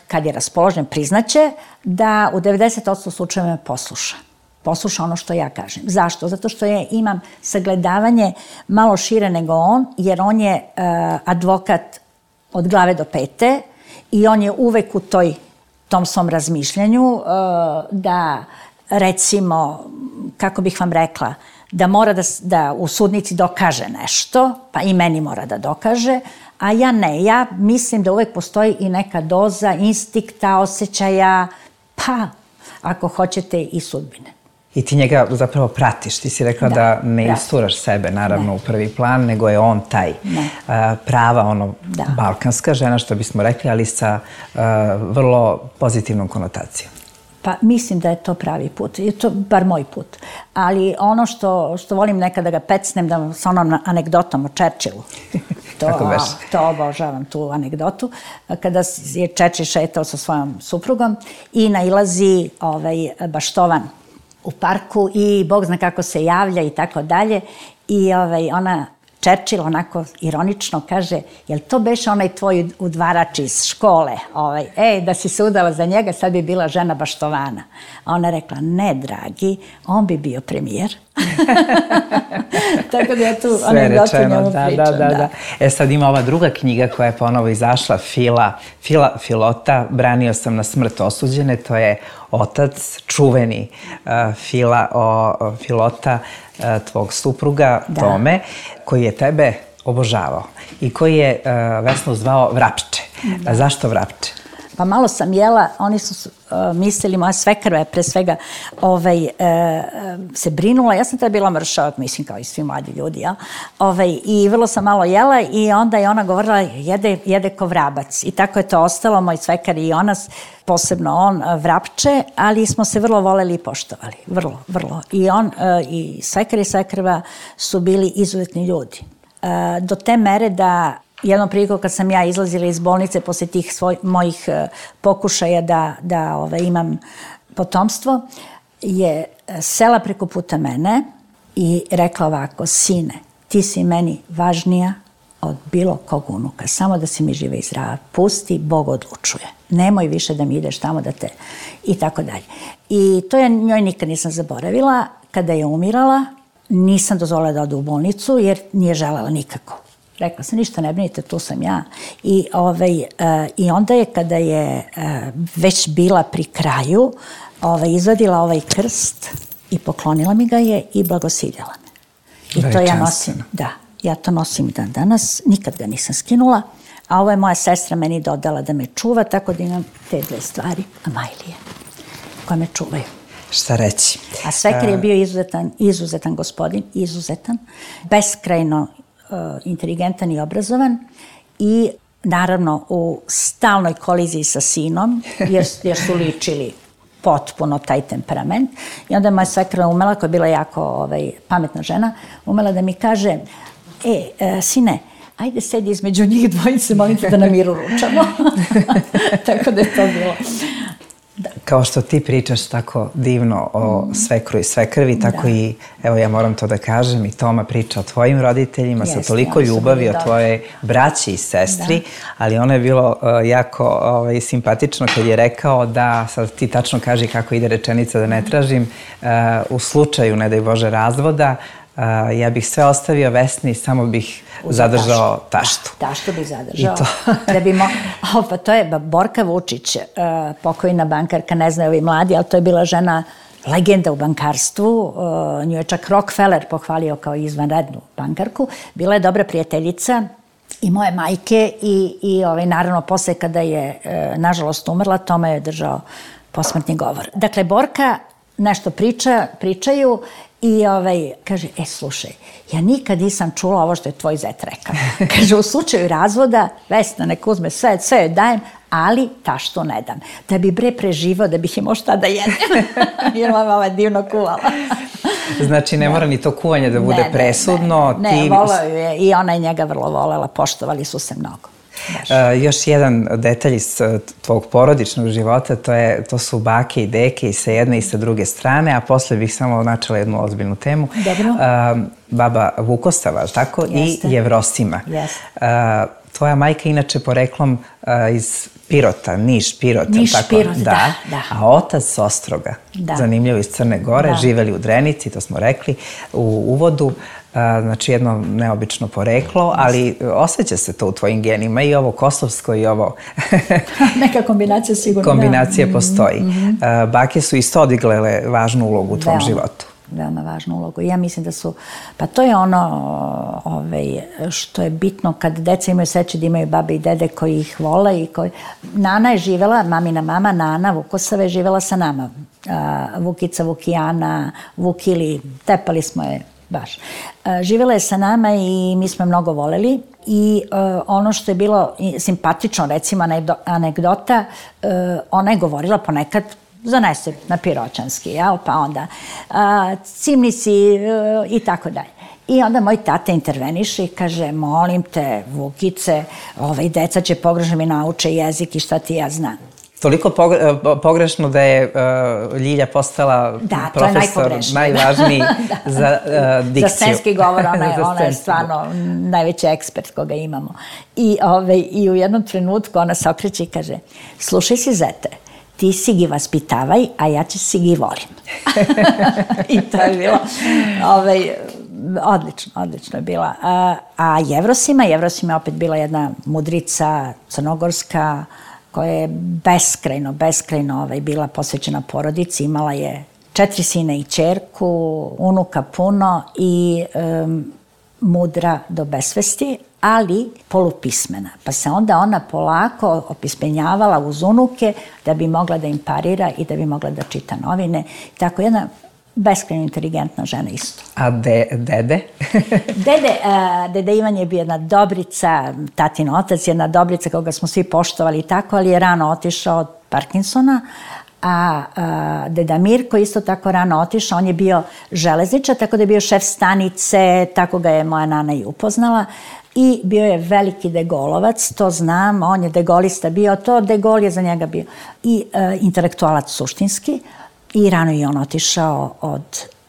kad je raspoložen, priznaće da u 90% slučajeva me posluša. Posluša ono što ja kažem. Zašto? Zato što ja imam sagledavanje malo šire nego on, jer on je advokat od glave do pete i on je uvek u tom svom razmišljanju da, recimo, kako bih vam rekla, da mora da u sudnici dokaže nešto, pa i meni mora da dokaže, a ja ne. Ja mislim da uvek postoji i neka doza instinkta, osjećaja, pa, ako hoćete, i sudbine. I ti njega zapravo pratiš. Ti si rekla da ne isturaš sebe, naravno, u prvi plan, nego je on taj prava, balkanska žena, što bismo rekli, ali sa vrlo pozitivnom konotacijom. Pa mislim da je to pravi put. Je to bar moj put. Ali ono što volim nekada da ga pecnem, da sa onom anegdotom o Churchillu. To obožavam, tu anegdotu. Kada je Churchill šetao sa svojom suprugom i nailazi baštovan u parku i Bog zna kako se javlja i tako dalje. I ona, Churchill, onako ironično kaže, jel to beše onaj tvoj udvarač iz škole? Da si se udala za njega, sad bi bila žena baštovana. A ona rekla, ne, dragi, on bi bio premijer. Tako da ja tu anegdotu njemu pričam. Da. Sad ima ova druga knjiga koja je ponovo izašla, Filota, branio sam na smrt osuđene, to je otac, čuveni Filota, tvog supruga, Tome, koji je tebe obožavao i koji je Vesnu zvao Vrapče. Zašto Vrapče? Pa malo sam jela, oni su mislili, moja svekrva je pre svega se brinula, ja sam tada bila mršava, mislim kao i svi mladi ljudi, i vrlo sam malo jela i onda je ona govorila jede ko vrabac i tako je to ostalo, moj svekar i ona, posebno on, Vrapče, ali smo se vrlo voleli i poštovali, vrlo. I on i svekar i svekrva su bili izuzetni ljudi. Do te mere da jednom prilikom kad sam ja izlazila iz bolnice posle tih mojih pokušaja da imam potomstvo, je sela preko puta mene i rekla ovako, sine, ti si meni važnija od bilo kog unuka, samo da si mi žive i zdrava, pusti, Bog odlučuje. Nemoj više da mi ideš tamo da te... I tako dalje. I to ja njoj nikad nisam zaboravila. Kada je umirala, nisam dozvolila da ode u bolnicu jer nije želela nikako. Rekla sam, ništa ne brinite, tu sam ja. I onda je, kada je već bila pri kraju, izvadila ovaj krst i poklonila mi ga je i blagosiljala me. I to ja nosim, da, ja to nosim dan danas, nikad ga nisam skinula, a ovo je moja sestra meni dodala da me čuva, tako da imam te dve stvari, Amajlije, koje me čuvaju. Šta reći? A svekar je bio izuzetan gospodin, beskrajno inteligentan i obrazovan i naravno u stalnoj koliziji sa sinom, jer su ličili potpuno taj temperament. I onda je moja svekra umela, koja je bila jako pametna žena, umela da mi kaže, sine, ajde sedi između njih dvojice, molim te da na miru ručamo. Tako da je to bilo. Da. Kao što ti pričaš tako divno o svekru i svekrvi, tako i, evo ja moram to da kažem, i Toma priča o tvojim roditeljima sa toliko ljubavi, o tvojoj braći i sestri, ali ono je bilo jako simpatično kad je rekao da, sad ti tačno kaži kako ide rečenica da ne tražim, u slučaju, ne daj Bože, razvoda, ja bih sve ostavio Vesni, samo bih zadržao taštu. Taštu bih zadržao. Pa to je Borka Vučić, pokojna bankarka, ne znaju ovi mladi, ali to je bila žena legenda u bankarstvu. Nju je čak Rockefeller pohvalio kao izvanrednu bankarku. Bila je dobra prijateljica i moje majke i naravno posle kada je nažalost umrla, Toma je držao posmrtni govor. Dakle, Borka nešto pričaju i kaže, slušaj, ja nikad nisam čula ovo što je tvoj zet rekao. Kaže, u slučaju razvoda, Vesna nek uzme sve joj dajem, ali taštu ne dam. Da bi bre preživao, da bih imao šta da jedem. Jer mama je divno kuvala. Znači, ne mora ni to kuvanje da bude presudno. Ne, volao ju je i ona je njega vrlo volela, poštovali su se mnogo. Još jedan detalj iz tvog porodičnog života, to su bake i deke i sa jedne i sa druge strane, a posle bih samo načela jednu ozbiljnu temu. Dobro. Baba Vukosava, tako? I Jevrosima. Tvoja majka inače poreklom iz Pirota, Niš, Pirot. Niš, Pirot, da. A otac s Ostroga, zanimljivo iz Crne Gore, živeli u Drenici, to smo rekli u uvodu. Znači jedno neobično poreklo, ali osjeća se to u tvojim genima, i ovo kosovsko i ovo... Neka kombinacija sigurno. Kombinacija postoji. Bake su isto odigrale važnu ulogu u tvom životu. Veoma važnu ulogu. Ja mislim da su... Pa to je ono što je bitno kad deca imaju sreće da imaju babe i dede koji ih vole i koji... Nana je živela, mamina mama, Nana Vukosava je živela sa nama. Vukica, Vukijana, Vukili, tepali smo je baš. Živjela je sa nama i mi smo mnogo voleli i ono što je bilo simpatično, recimo anegdota, ona je govorila ponekad zanese na piroćanski, pa onda cimni si i tako dalje. I onda moj tata interveniše i kaže, molim te, Vukice, deca će pogrešno mi nauče jezik i šta ti ja znam. Toliko pogrešno da je Ljilja postala profesor najvažniji za dikciju. Za scenski govor, ona je stvarno najveći ekspert koga imamo. I u jednom trenutku ona se okreće i kaže, slušaj si zete, ti si gi vaspitavaj, a ja će si gi volim. I to je bilo odlično je bila. A Jevrosima je opet bila jedna mudrica crnogorska, koja je beskrajno bila posvećena porodici. Imala je 4 sina i ćerku, unuka puno i mudra do besvesti, ali polupismena. Pa se onda ona polako opismenjavala uz unuke da bi mogla da im parira i da bi mogla da čita novine. Tako jedna beskrajno inteligentna žena isto. A dede? Dede Ivan je bio jedna dobrica, tatin otac, jedna dobrica koga smo svi poštovali i tako, ali je rano otišao od Parkinsona, a deda Mirko isto tako rano otišao, on je bio železničar, tako da je bio šef stanice, tako ga je moja nana i upoznala. I bio je veliki degolovac, to znam, on je degolista bio, to degol je za njega bio. I intelektualac suštinski. I rano je on otišao od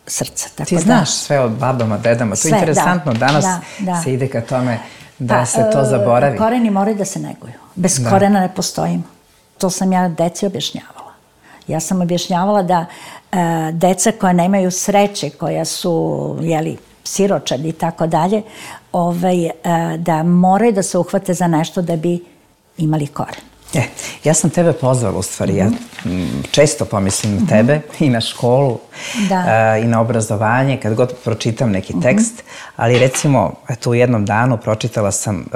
srca. Ti znaš sve o babama, dedama, to je interesantno. Danas se ide ka tome da se to zaboravi. Koreni moraju da se neguju. Bez korena ne postojimo. To sam ja deci objašnjavala. Ja sam objašnjavala da deca koja nemaju sreće, koja su, siročadi i tako dalje, da moraju da se uhvate za nešto da bi imali koren. Ja sam tebe pozvala u stvari, ja često pomislim na tebe i na školu i na obrazovanje kad god pročitam neki tekst, ali recimo u jednom danu pročitala sam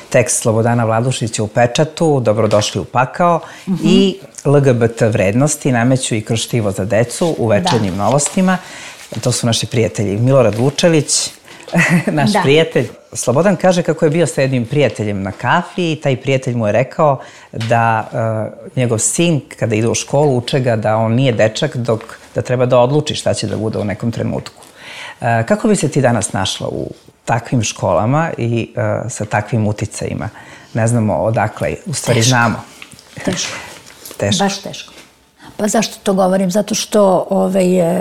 tekst Slobodana Vladušića u Pečatu, Dobrodošli u pakao i LGBT vrednosti nameću i kroz štivo za decu u Večernjim novostima. To su naši prijatelji Milorad Vučelić, naš prijatelj. Slobodan kaže kako je bio sa jednim prijateljem na kafi i taj prijatelj mu je rekao da njegov sin, kada ide u školu, uče ga da on nije dečak, da treba da odluči šta će da bude u nekom trenutku. Kako bi se ti danas našla u takvim školama i sa takvim uticajima? Ne znamo odakle, u stvari znamo. Teško. Baš teško. Pa zašto to govorim? Zato što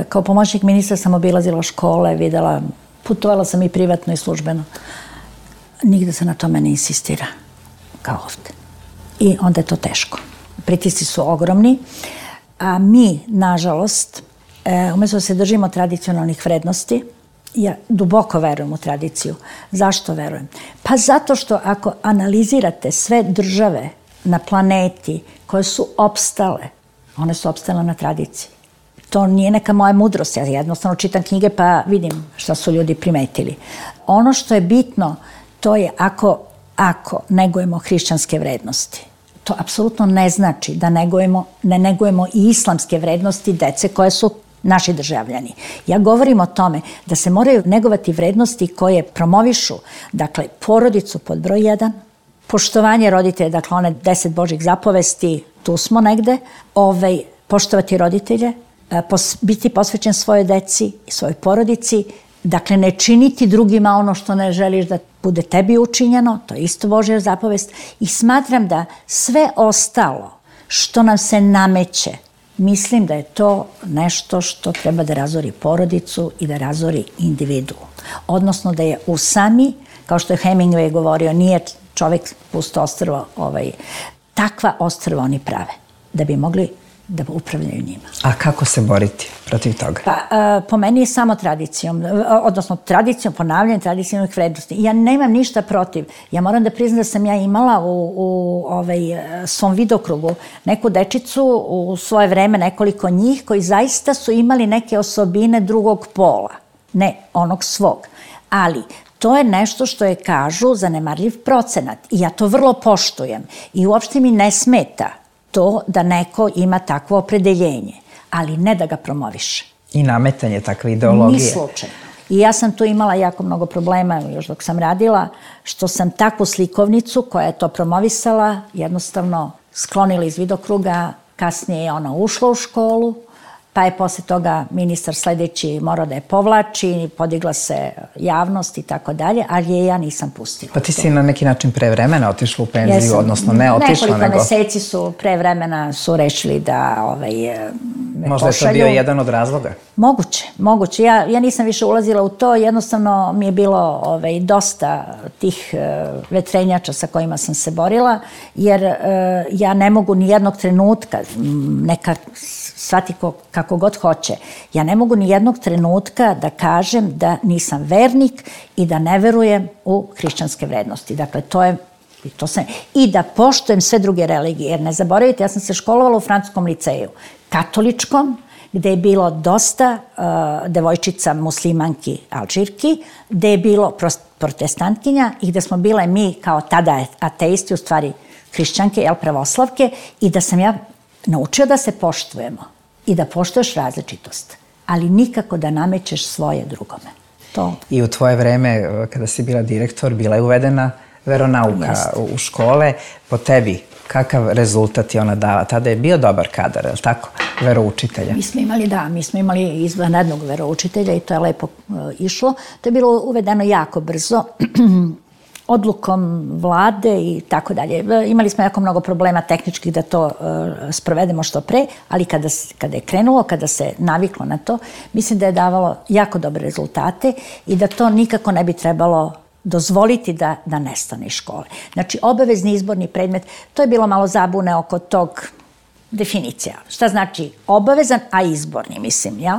kao pomoćnik ministra sam obilazila škole, videla, putovala sam i privatno i službeno. Nigde se na tome ne insistira, kao ovde. I onda je to teško. Pritisci su ogromni, a mi, nažalost, umjesto da se držimo tradicionalnih vrednosti, ja duboko verujem u tradiciju. Zašto verujem? Pa zato što ako analizirate sve države na planeti koje su opstale, one su opstale na tradiciji. To nije neka moja mudrost, ja jednostavno čitam knjige pa vidim šta su ljudi primetili. Ono što je bitno, to je ako negujemo hrišćanske vrednosti. To apsolutno ne znači da ne negujemo i islamske vrednosti dece koje su naši državljani. Ja govorim o tome da se moraju negovati vrednosti koje promovišu, dakle, porodicu pod broj 1, poštovanje roditelja, dakle, one 10 Božjih zapovesti, tu smo negde, poštovati roditelje, biti posvećen svojoj deci i svojoj porodici, dakle, ne činiti drugima ono što ne želiš da bude tebi učinjeno, to je isto Božja zapovest, i smatram da sve ostalo što nam se nameće, mislim da je to nešto što treba da razori porodicu i da razori individu. Odnosno da je u sami, kao što je Hemingway govorio, nije čovek pusto ostrvo, takva ostrva oni prave, da bi mogli da upravljaju njima. A kako se boriti protiv toga? Pa, po meni je samo tradicijom, odnosno tradicijom, ponavljanjem tradicionalnih vrednosti. Ja nemam ništa protiv. Ja moram da priznam da sam ja imala u svom vidokrugu neku dečicu u svoje vreme, nekoliko njih, koji zaista su imali neke osobine drugog pola, ne onog svog. Ali to je nešto što je, kažu, zanemarljiv procenat. I ja to vrlo poštujem. I uopšte mi ne smeta to da neko ima takvo opredeljenje, ali ne da ga promoviše. I nametanje takve ideologije. Ni slučajno. I ja sam tu imala jako mnogo problema, još dok sam radila, što sam takvu slikovnicu koja je to promovisala, jednostavno sklonila iz vidokruga, kasnije je ona ušla u školu, pa je posle toga ministar sledeći morao da je povlači, podigla se javnost i tako dalje, ali je ja nisam pustila. Pa ti si na neki način pre vremena otišla u penziju, odnosno ne otišla, nego... Nekoliko meseci su pre vremena su rešili da me možda pošalju. Je to bio jedan od razloga? Moguće. Ja nisam više ulazila u to, jednostavno mi je bilo dosta tih vetrenjača sa kojima sam se borila, jer ja ne mogu ni jednog trenutka, neka shvati kako god hoće, ja ne mogu ni jednog trenutka da kažem da nisam vernik i da ne verujem u hrišćanske vrednosti. Dakle, i da poštujem sve druge religije, jer ne zaboravite, ja sam se školovala u francuskom liceju, katoličkom, gde je bilo dosta devojčica muslimanki, alžirki, gde je bilo protestantkinja i gde smo bile mi kao tada ateisti, u stvari hrišćanke, pravoslavke, i da sam ja naučio da se poštujemo i da poštuješ različitost, ali nikako da namećeš svoje drugome. I u tvoje vreme, kada si bila direktor, bila je uvedena veronauka u škole. Po tebi, kakav rezultat je ona dala? Tada je bio dobar kadar, je li tako? Veroučitelja. Mi smo imali izvanrednog veroučitelja i to je lepo išlo. To je bilo uvedeno jako brzo, odlukom vlade i tako dalje. Imali smo jako mnogo problema tehničkih da to sprovedemo što pre, ali kada je krenulo, kada se naviklo na to, mislim da je davalo jako dobre rezultate i da to nikako ne bi trebalo dozvoliti da nestane iz škole. Znači, obavezni izborni predmet, to je bilo malo zabune oko tog definicija. Šta znači obavezan, a izborni, mislim, jel?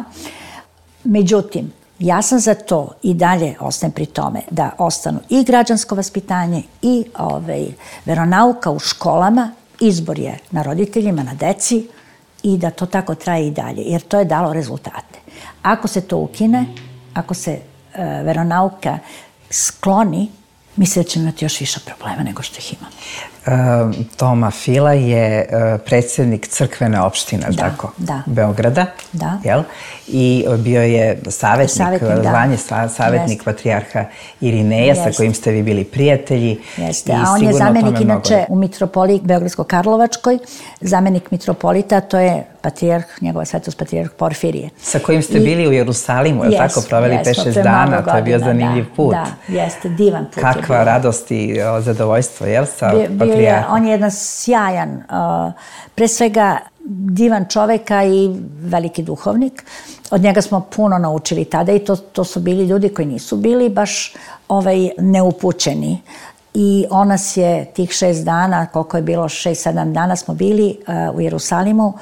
Međutim, ja sam za to i dalje ostajem pri tome da ostanu i građansko vaspitanje i veronauka u školama, izbor je na roditeljima, na deci i da to tako traje i dalje, jer to je dalo rezultate. Ako se to ukine, ako se veronauka skloni, mislim da ćemo imati još više problema nego što ih imamo. Toma Fila je predsjednik crkvene opštine, tako? Da. Beograda, jel? I bio je savjetnik patrijarha Irineja, sa kojim ste vi bili prijatelji. Jeste, a on je zamenik inače u mitropoliji Beogradsko-Karlovačkoj, zamenik mitropolita, to je patrijarh, njegova svetost patrijarh Porfirije. Sa kojim ste bili u Jerusalimu, je li tako? Proveli 5-6 dana, to je bio zanimljiv put. Da, jeste, divan put. Kakva radost i zadovoljstvo, jel? On je jedan sjajan, pre svega divan čoveka i veliki duhovnik. Od njega smo puno naučili tada i to su bili ljudi koji nisu bili baš neupućeni. I on nas je tih 6 dana, koliko je bilo 6-7 dana smo bili u Jerusalimu,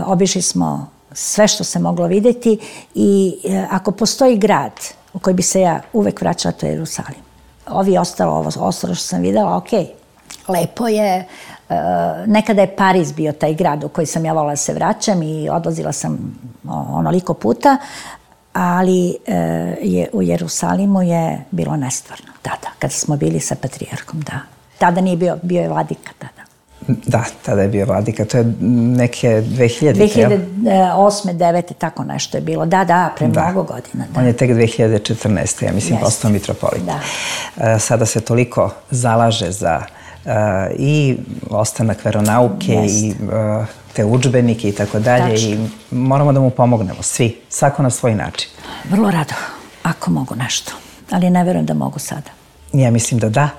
obišli smo sve što se moglo vidjeti i ako postoji grad u koji bi se ja uvek vraćala, to je Jerusalim. Ovo ostalo što sam videla, okej. Lepo je. Nekada je Pariz bio taj grad u koji sam ja volila da se vraćam i odlazila sam onoliko puta, ali u Jerusalimu je bilo nestvarno tada, kada smo bili sa patrijarhom, da. Tada nije bio je vladika tada. Da, tada je bio vladika, to je neke 2000. 2008. 2009. tako nešto je bilo, pre mnogo godina. On je tek 2014. ja mislim postao mitropolit. Sada se toliko zalaže za i ostanak veronauke i te udžbenike i tako dalje i moramo da mu pomognemo, svi, svako na svoj način. Vrlo rado, ako mogu nešto, ali ne verujem da mogu sada. Ja mislim da da.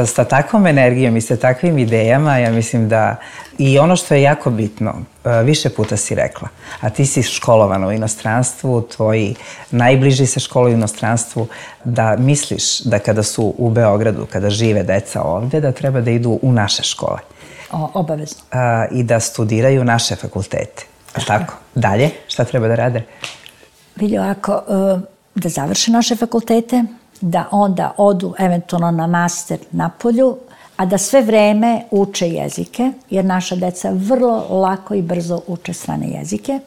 Sa takvom energijom i sa takvim idejama, ja mislim da i ono što je jako bitno, više puta si rekla, a ti si školovana u inostranstvu, tvoji najbliži se školuju u inostranstvu, da misliš da kada su u Beogradu, kada žive deca ovde, da treba da idu u naše škole. Obavezno. I da studiraju naše fakultete. Tako? Dalje? Šta treba da rade? Vidi ovako, da završe naše fakultete, da onda odu eventualno na master napolju, a da sve vreme uče jezike, jer naša deca vrlo lako i brzo uče strane jezike.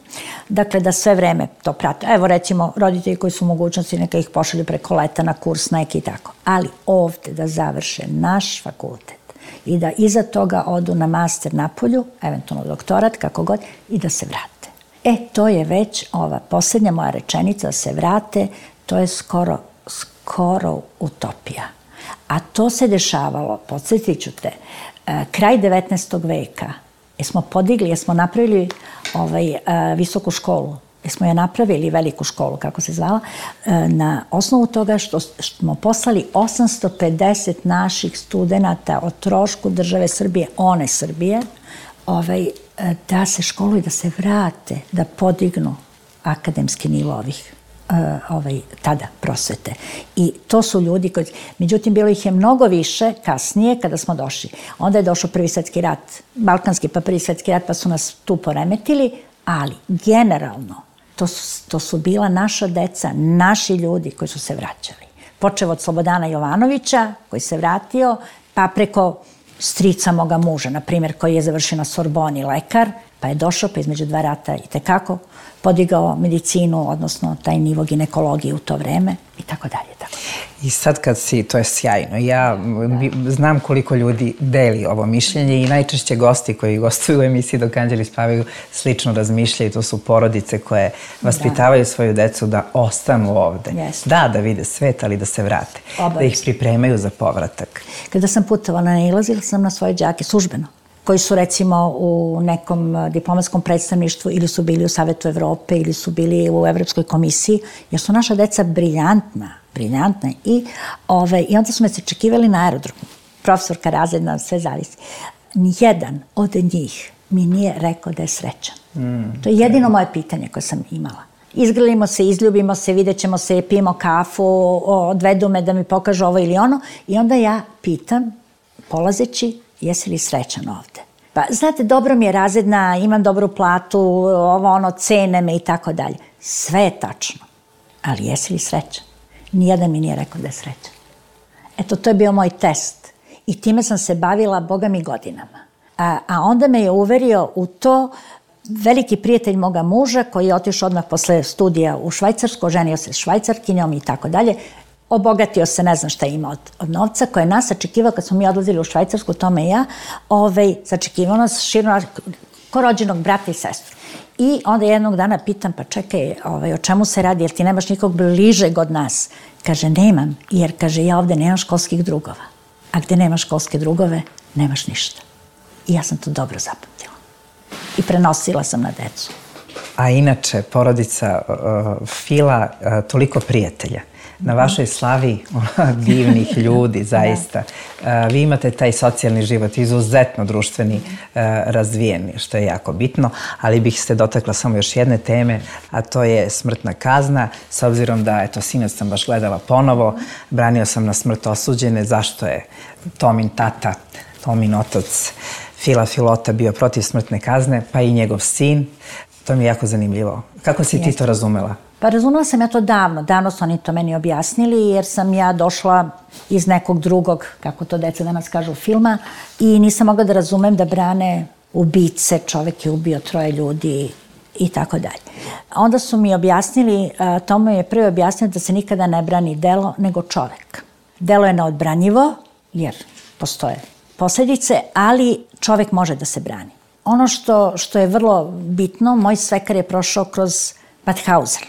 Dakle, da sve vreme to prate. Evo, recimo, roditelji koji su u mogućnosti, neka ih pošalju preko leta na kurs neki i tako. Ali ovde da završe naš fakultet i da iza toga odu na master napolju, eventualno doktorat, kako god, i da se vrate. To je već ova posljednja moja rečenica, da se vrate, to je skoro utopija. A to se dešavalo, podsjetit ću te, kraj 19. veka. Jesmo napravili visoku školu, jesmo je napravili veliku školu, kako se zvala, na osnovu toga što smo poslali 850 naših studenata o trošku države Srbije, one Srbije, da se školuju, da se vrate, da podignu akademski nivo ovih tada prosvete. I to su ljudi koji... Međutim, bilo ih je mnogo više kasnije kada smo došli. Onda je došao Prvi svetski rat, Balkanski pa Prvi svetski rat, pa su nas tu poremetili, ali generalno to su bila naša deca, naši ljudi koji su se vraćali. Počeo od Slobodana Jovanovića, koji se vratio, pa preko strica moga muža, na primjer, koji je završio na Sorboni, lekar, pa je došao, pa između 2 rata i tekako podigao medicinu, odnosno taj nivo ginekologije u to vreme i tako dalje. I sad kad si, to je sjajno, ja znam koliko ljudi deli ovo mišljenje i najčešće gosti koji gostuju u emisiji Dok anđeli spavaju slično razmišljaju, to su porodice koje vaspitavaju svoju decu da ostanu ovde. Da vide svet, ali da se vrate, da ih pripremaju za povratak. Kada sam putovala, nailazila sam na svoje đake službeno, koji su recimo u nekom diplomatskom predstavništvu ili su bili u Savetu Evrope ili su bili u Evropskoj komisiji, jer su naša deca briljantna i onda su me se očekivali na aerodromu. Profesorka razredna, sve zavisi. Nijedan od njih mi nije rekao da je srećan. To je jedino moje pitanje koje sam imala. Izgrlimo se, izljubimo se, vidjet ćemo se, pijemo kafu, odvedu me da mi pokažu ovo ili ono i onda ja pitam, polazeći, jesi li srećan ovde? Pa, znate, dobro mi je razredna, imam dobru platu, cene me i tako dalje. Sve je tačno. Ali jesi li srećan? Nijedan mi nije rekao da je srećan. Eto, to je bio moj test. I time sam se bavila, Boga mi, godinama. A onda me je uverio u to veliki prijatelj moga muža, koji je otišao odmah posle studija u Švajcarsku, oženio se s Švajcarkinjom i tako dalje. Obogatio se, ne znam šta ima od novca, koje je nas sačekivao kad smo mi odlazili u Švajcarsku, tome i ja, sačekivao nas širno ko rođenog brata i sestru. I onda jednog dana pitam, pa čekaj, o čemu se radi, jer ti nemaš nikog bližeg od nas? Kaže, nemam, jer, kaže, ja ovde nemam školskih drugova. A gde nemaš školske drugove, nemaš ništa. I ja sam to dobro zapamtila. I prenosila sam na decu. A inače, porodica Fila, toliko prijatelja. Na vašoj slavi divnih ljudi, zaista. Vi imate taj socijalni život, izuzetno društveni, razvijeni, što je jako bitno, ali bih se dotakla samo još jedne teme, a to je smrtna kazna, s obzirom da, eto, sinoć sam baš gledala ponovo, branio sam na smrt osuđene, zašto je Tomin tata, Tomin otac Fila Filota bio protiv smrtne kazne, pa i njegov sin. To mi je jako zanimljivo. Kako si ti to razumela? Pa razumela sam ja to davno. Davno su oni to meni objasnili, jer sam ja došla iz nekog drugog, kako to deca danas kažu, filma, i nisam mogla da razumem da brane ubice, čovek je ubio 3 ljudi i tako dalje. Onda su mi objasnili, Tomo je prvi objasnio da se nikada ne brani delo, nego čovek. Delo je neodbranjivo, jer postoje posledice, ali čovek može da se brani. Ono što je vrlo bitno, moj svekar je prošao kroz Mauthausen.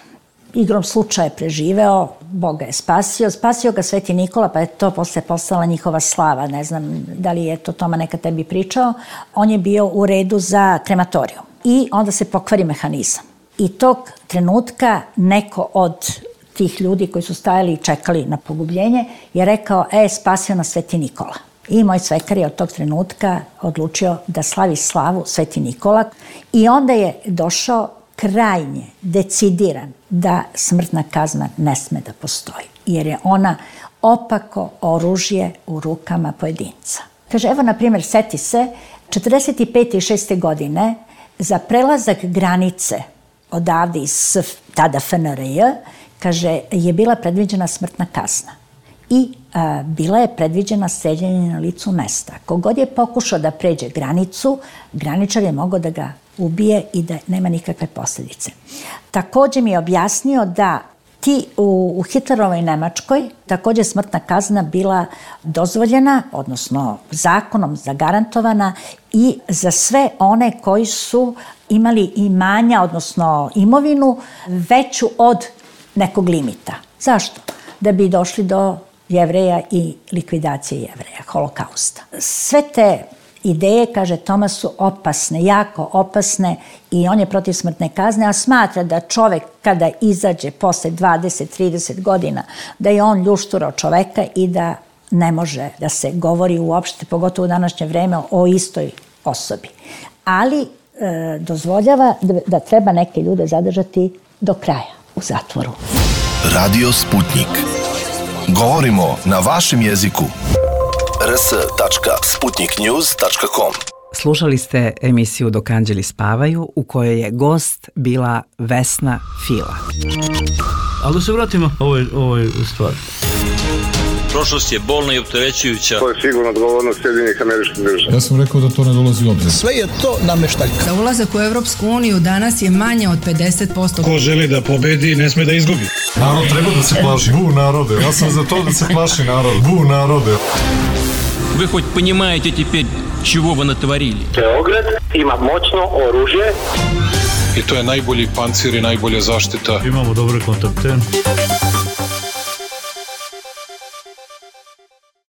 Igrom slučaja je preživeo, Bog ga je spasio ga Sveti Nikola, pa je to posle postala njihova slava, ne znam da li je to Toma nekad tebi pričao. On je bio u redu za krematorijum i onda se pokvari mehanizam. I tog trenutka neko od tih ljudi koji su stajali i čekali na pogubljenje je rekao, spasio nas Sveti Nikola. I moj svekar je od tog trenutka odlučio da slavi slavu Sveti Nikola i onda je došao krajnje decidiran da smrtna kazna ne sme da postoji, jer je ona opako oružje u rukama pojedinca. Kaže, evo, na primjer, seti se, 45. i 6. godine za prelazak granice odavde iz tada FNRJ, kaže, je bila predviđena smrtna kazna. I bila je predviđena streljanje na licu mesta. Kogod je pokušao da pređe granicu, graničar je mogao da ga ubije i da nema nikakve posljedice. Također mi je objasnio da u Hitlerovoj Nemačkoj također smrtna kazna bila dozvoljena, odnosno zakonom zagarantovana, i za sve one koji su imali imanja, odnosno imovinu, veću od nekog limita. Zašto? Da bi došli do Jevreja i likvidacije Jevreja, holokausta. Sve te ideje, kaže Toma, su opasne, jako opasne, i on je protiv smrtne kazne, a smatra da čovek kada izađe posle 20-30 godina, da je on ljušturao čoveka i da ne može da se govori uopšte, pogotovo u današnje vreme, o istoj osobi. Ali dozvoljava da treba neke ljude zadržati do kraja u zatvoru. Radio Sputnik. Govorimo na vašem jeziku. rs.sputniknews.com. Slušali ste emisiju Dok anđeli spavaju, u kojoj je gost bila Vesna Fila. Ali da se vratimo ovoj stvari. Prošlost je bolna i opterećujuća. To je sigurno odgovornost Sjedinjenih Američkih Država. Ja sam rekao da to ne dolazi u obzir. Sve je to nameštaljka. Za ulazak u Evropsku uniju danas je manje od 50%. Ko želi da pobedi, ne sme da izgubi. Narod treba da se plaši. Bu narode. Ja sam za to da se plaši narod. Bu narode. Вы хоть понимаете теперь, чего вы натворили? Beograd ima moćno oružje. I to je najbolji pancir i najbolja zaštita. Imamo dobre kontakte.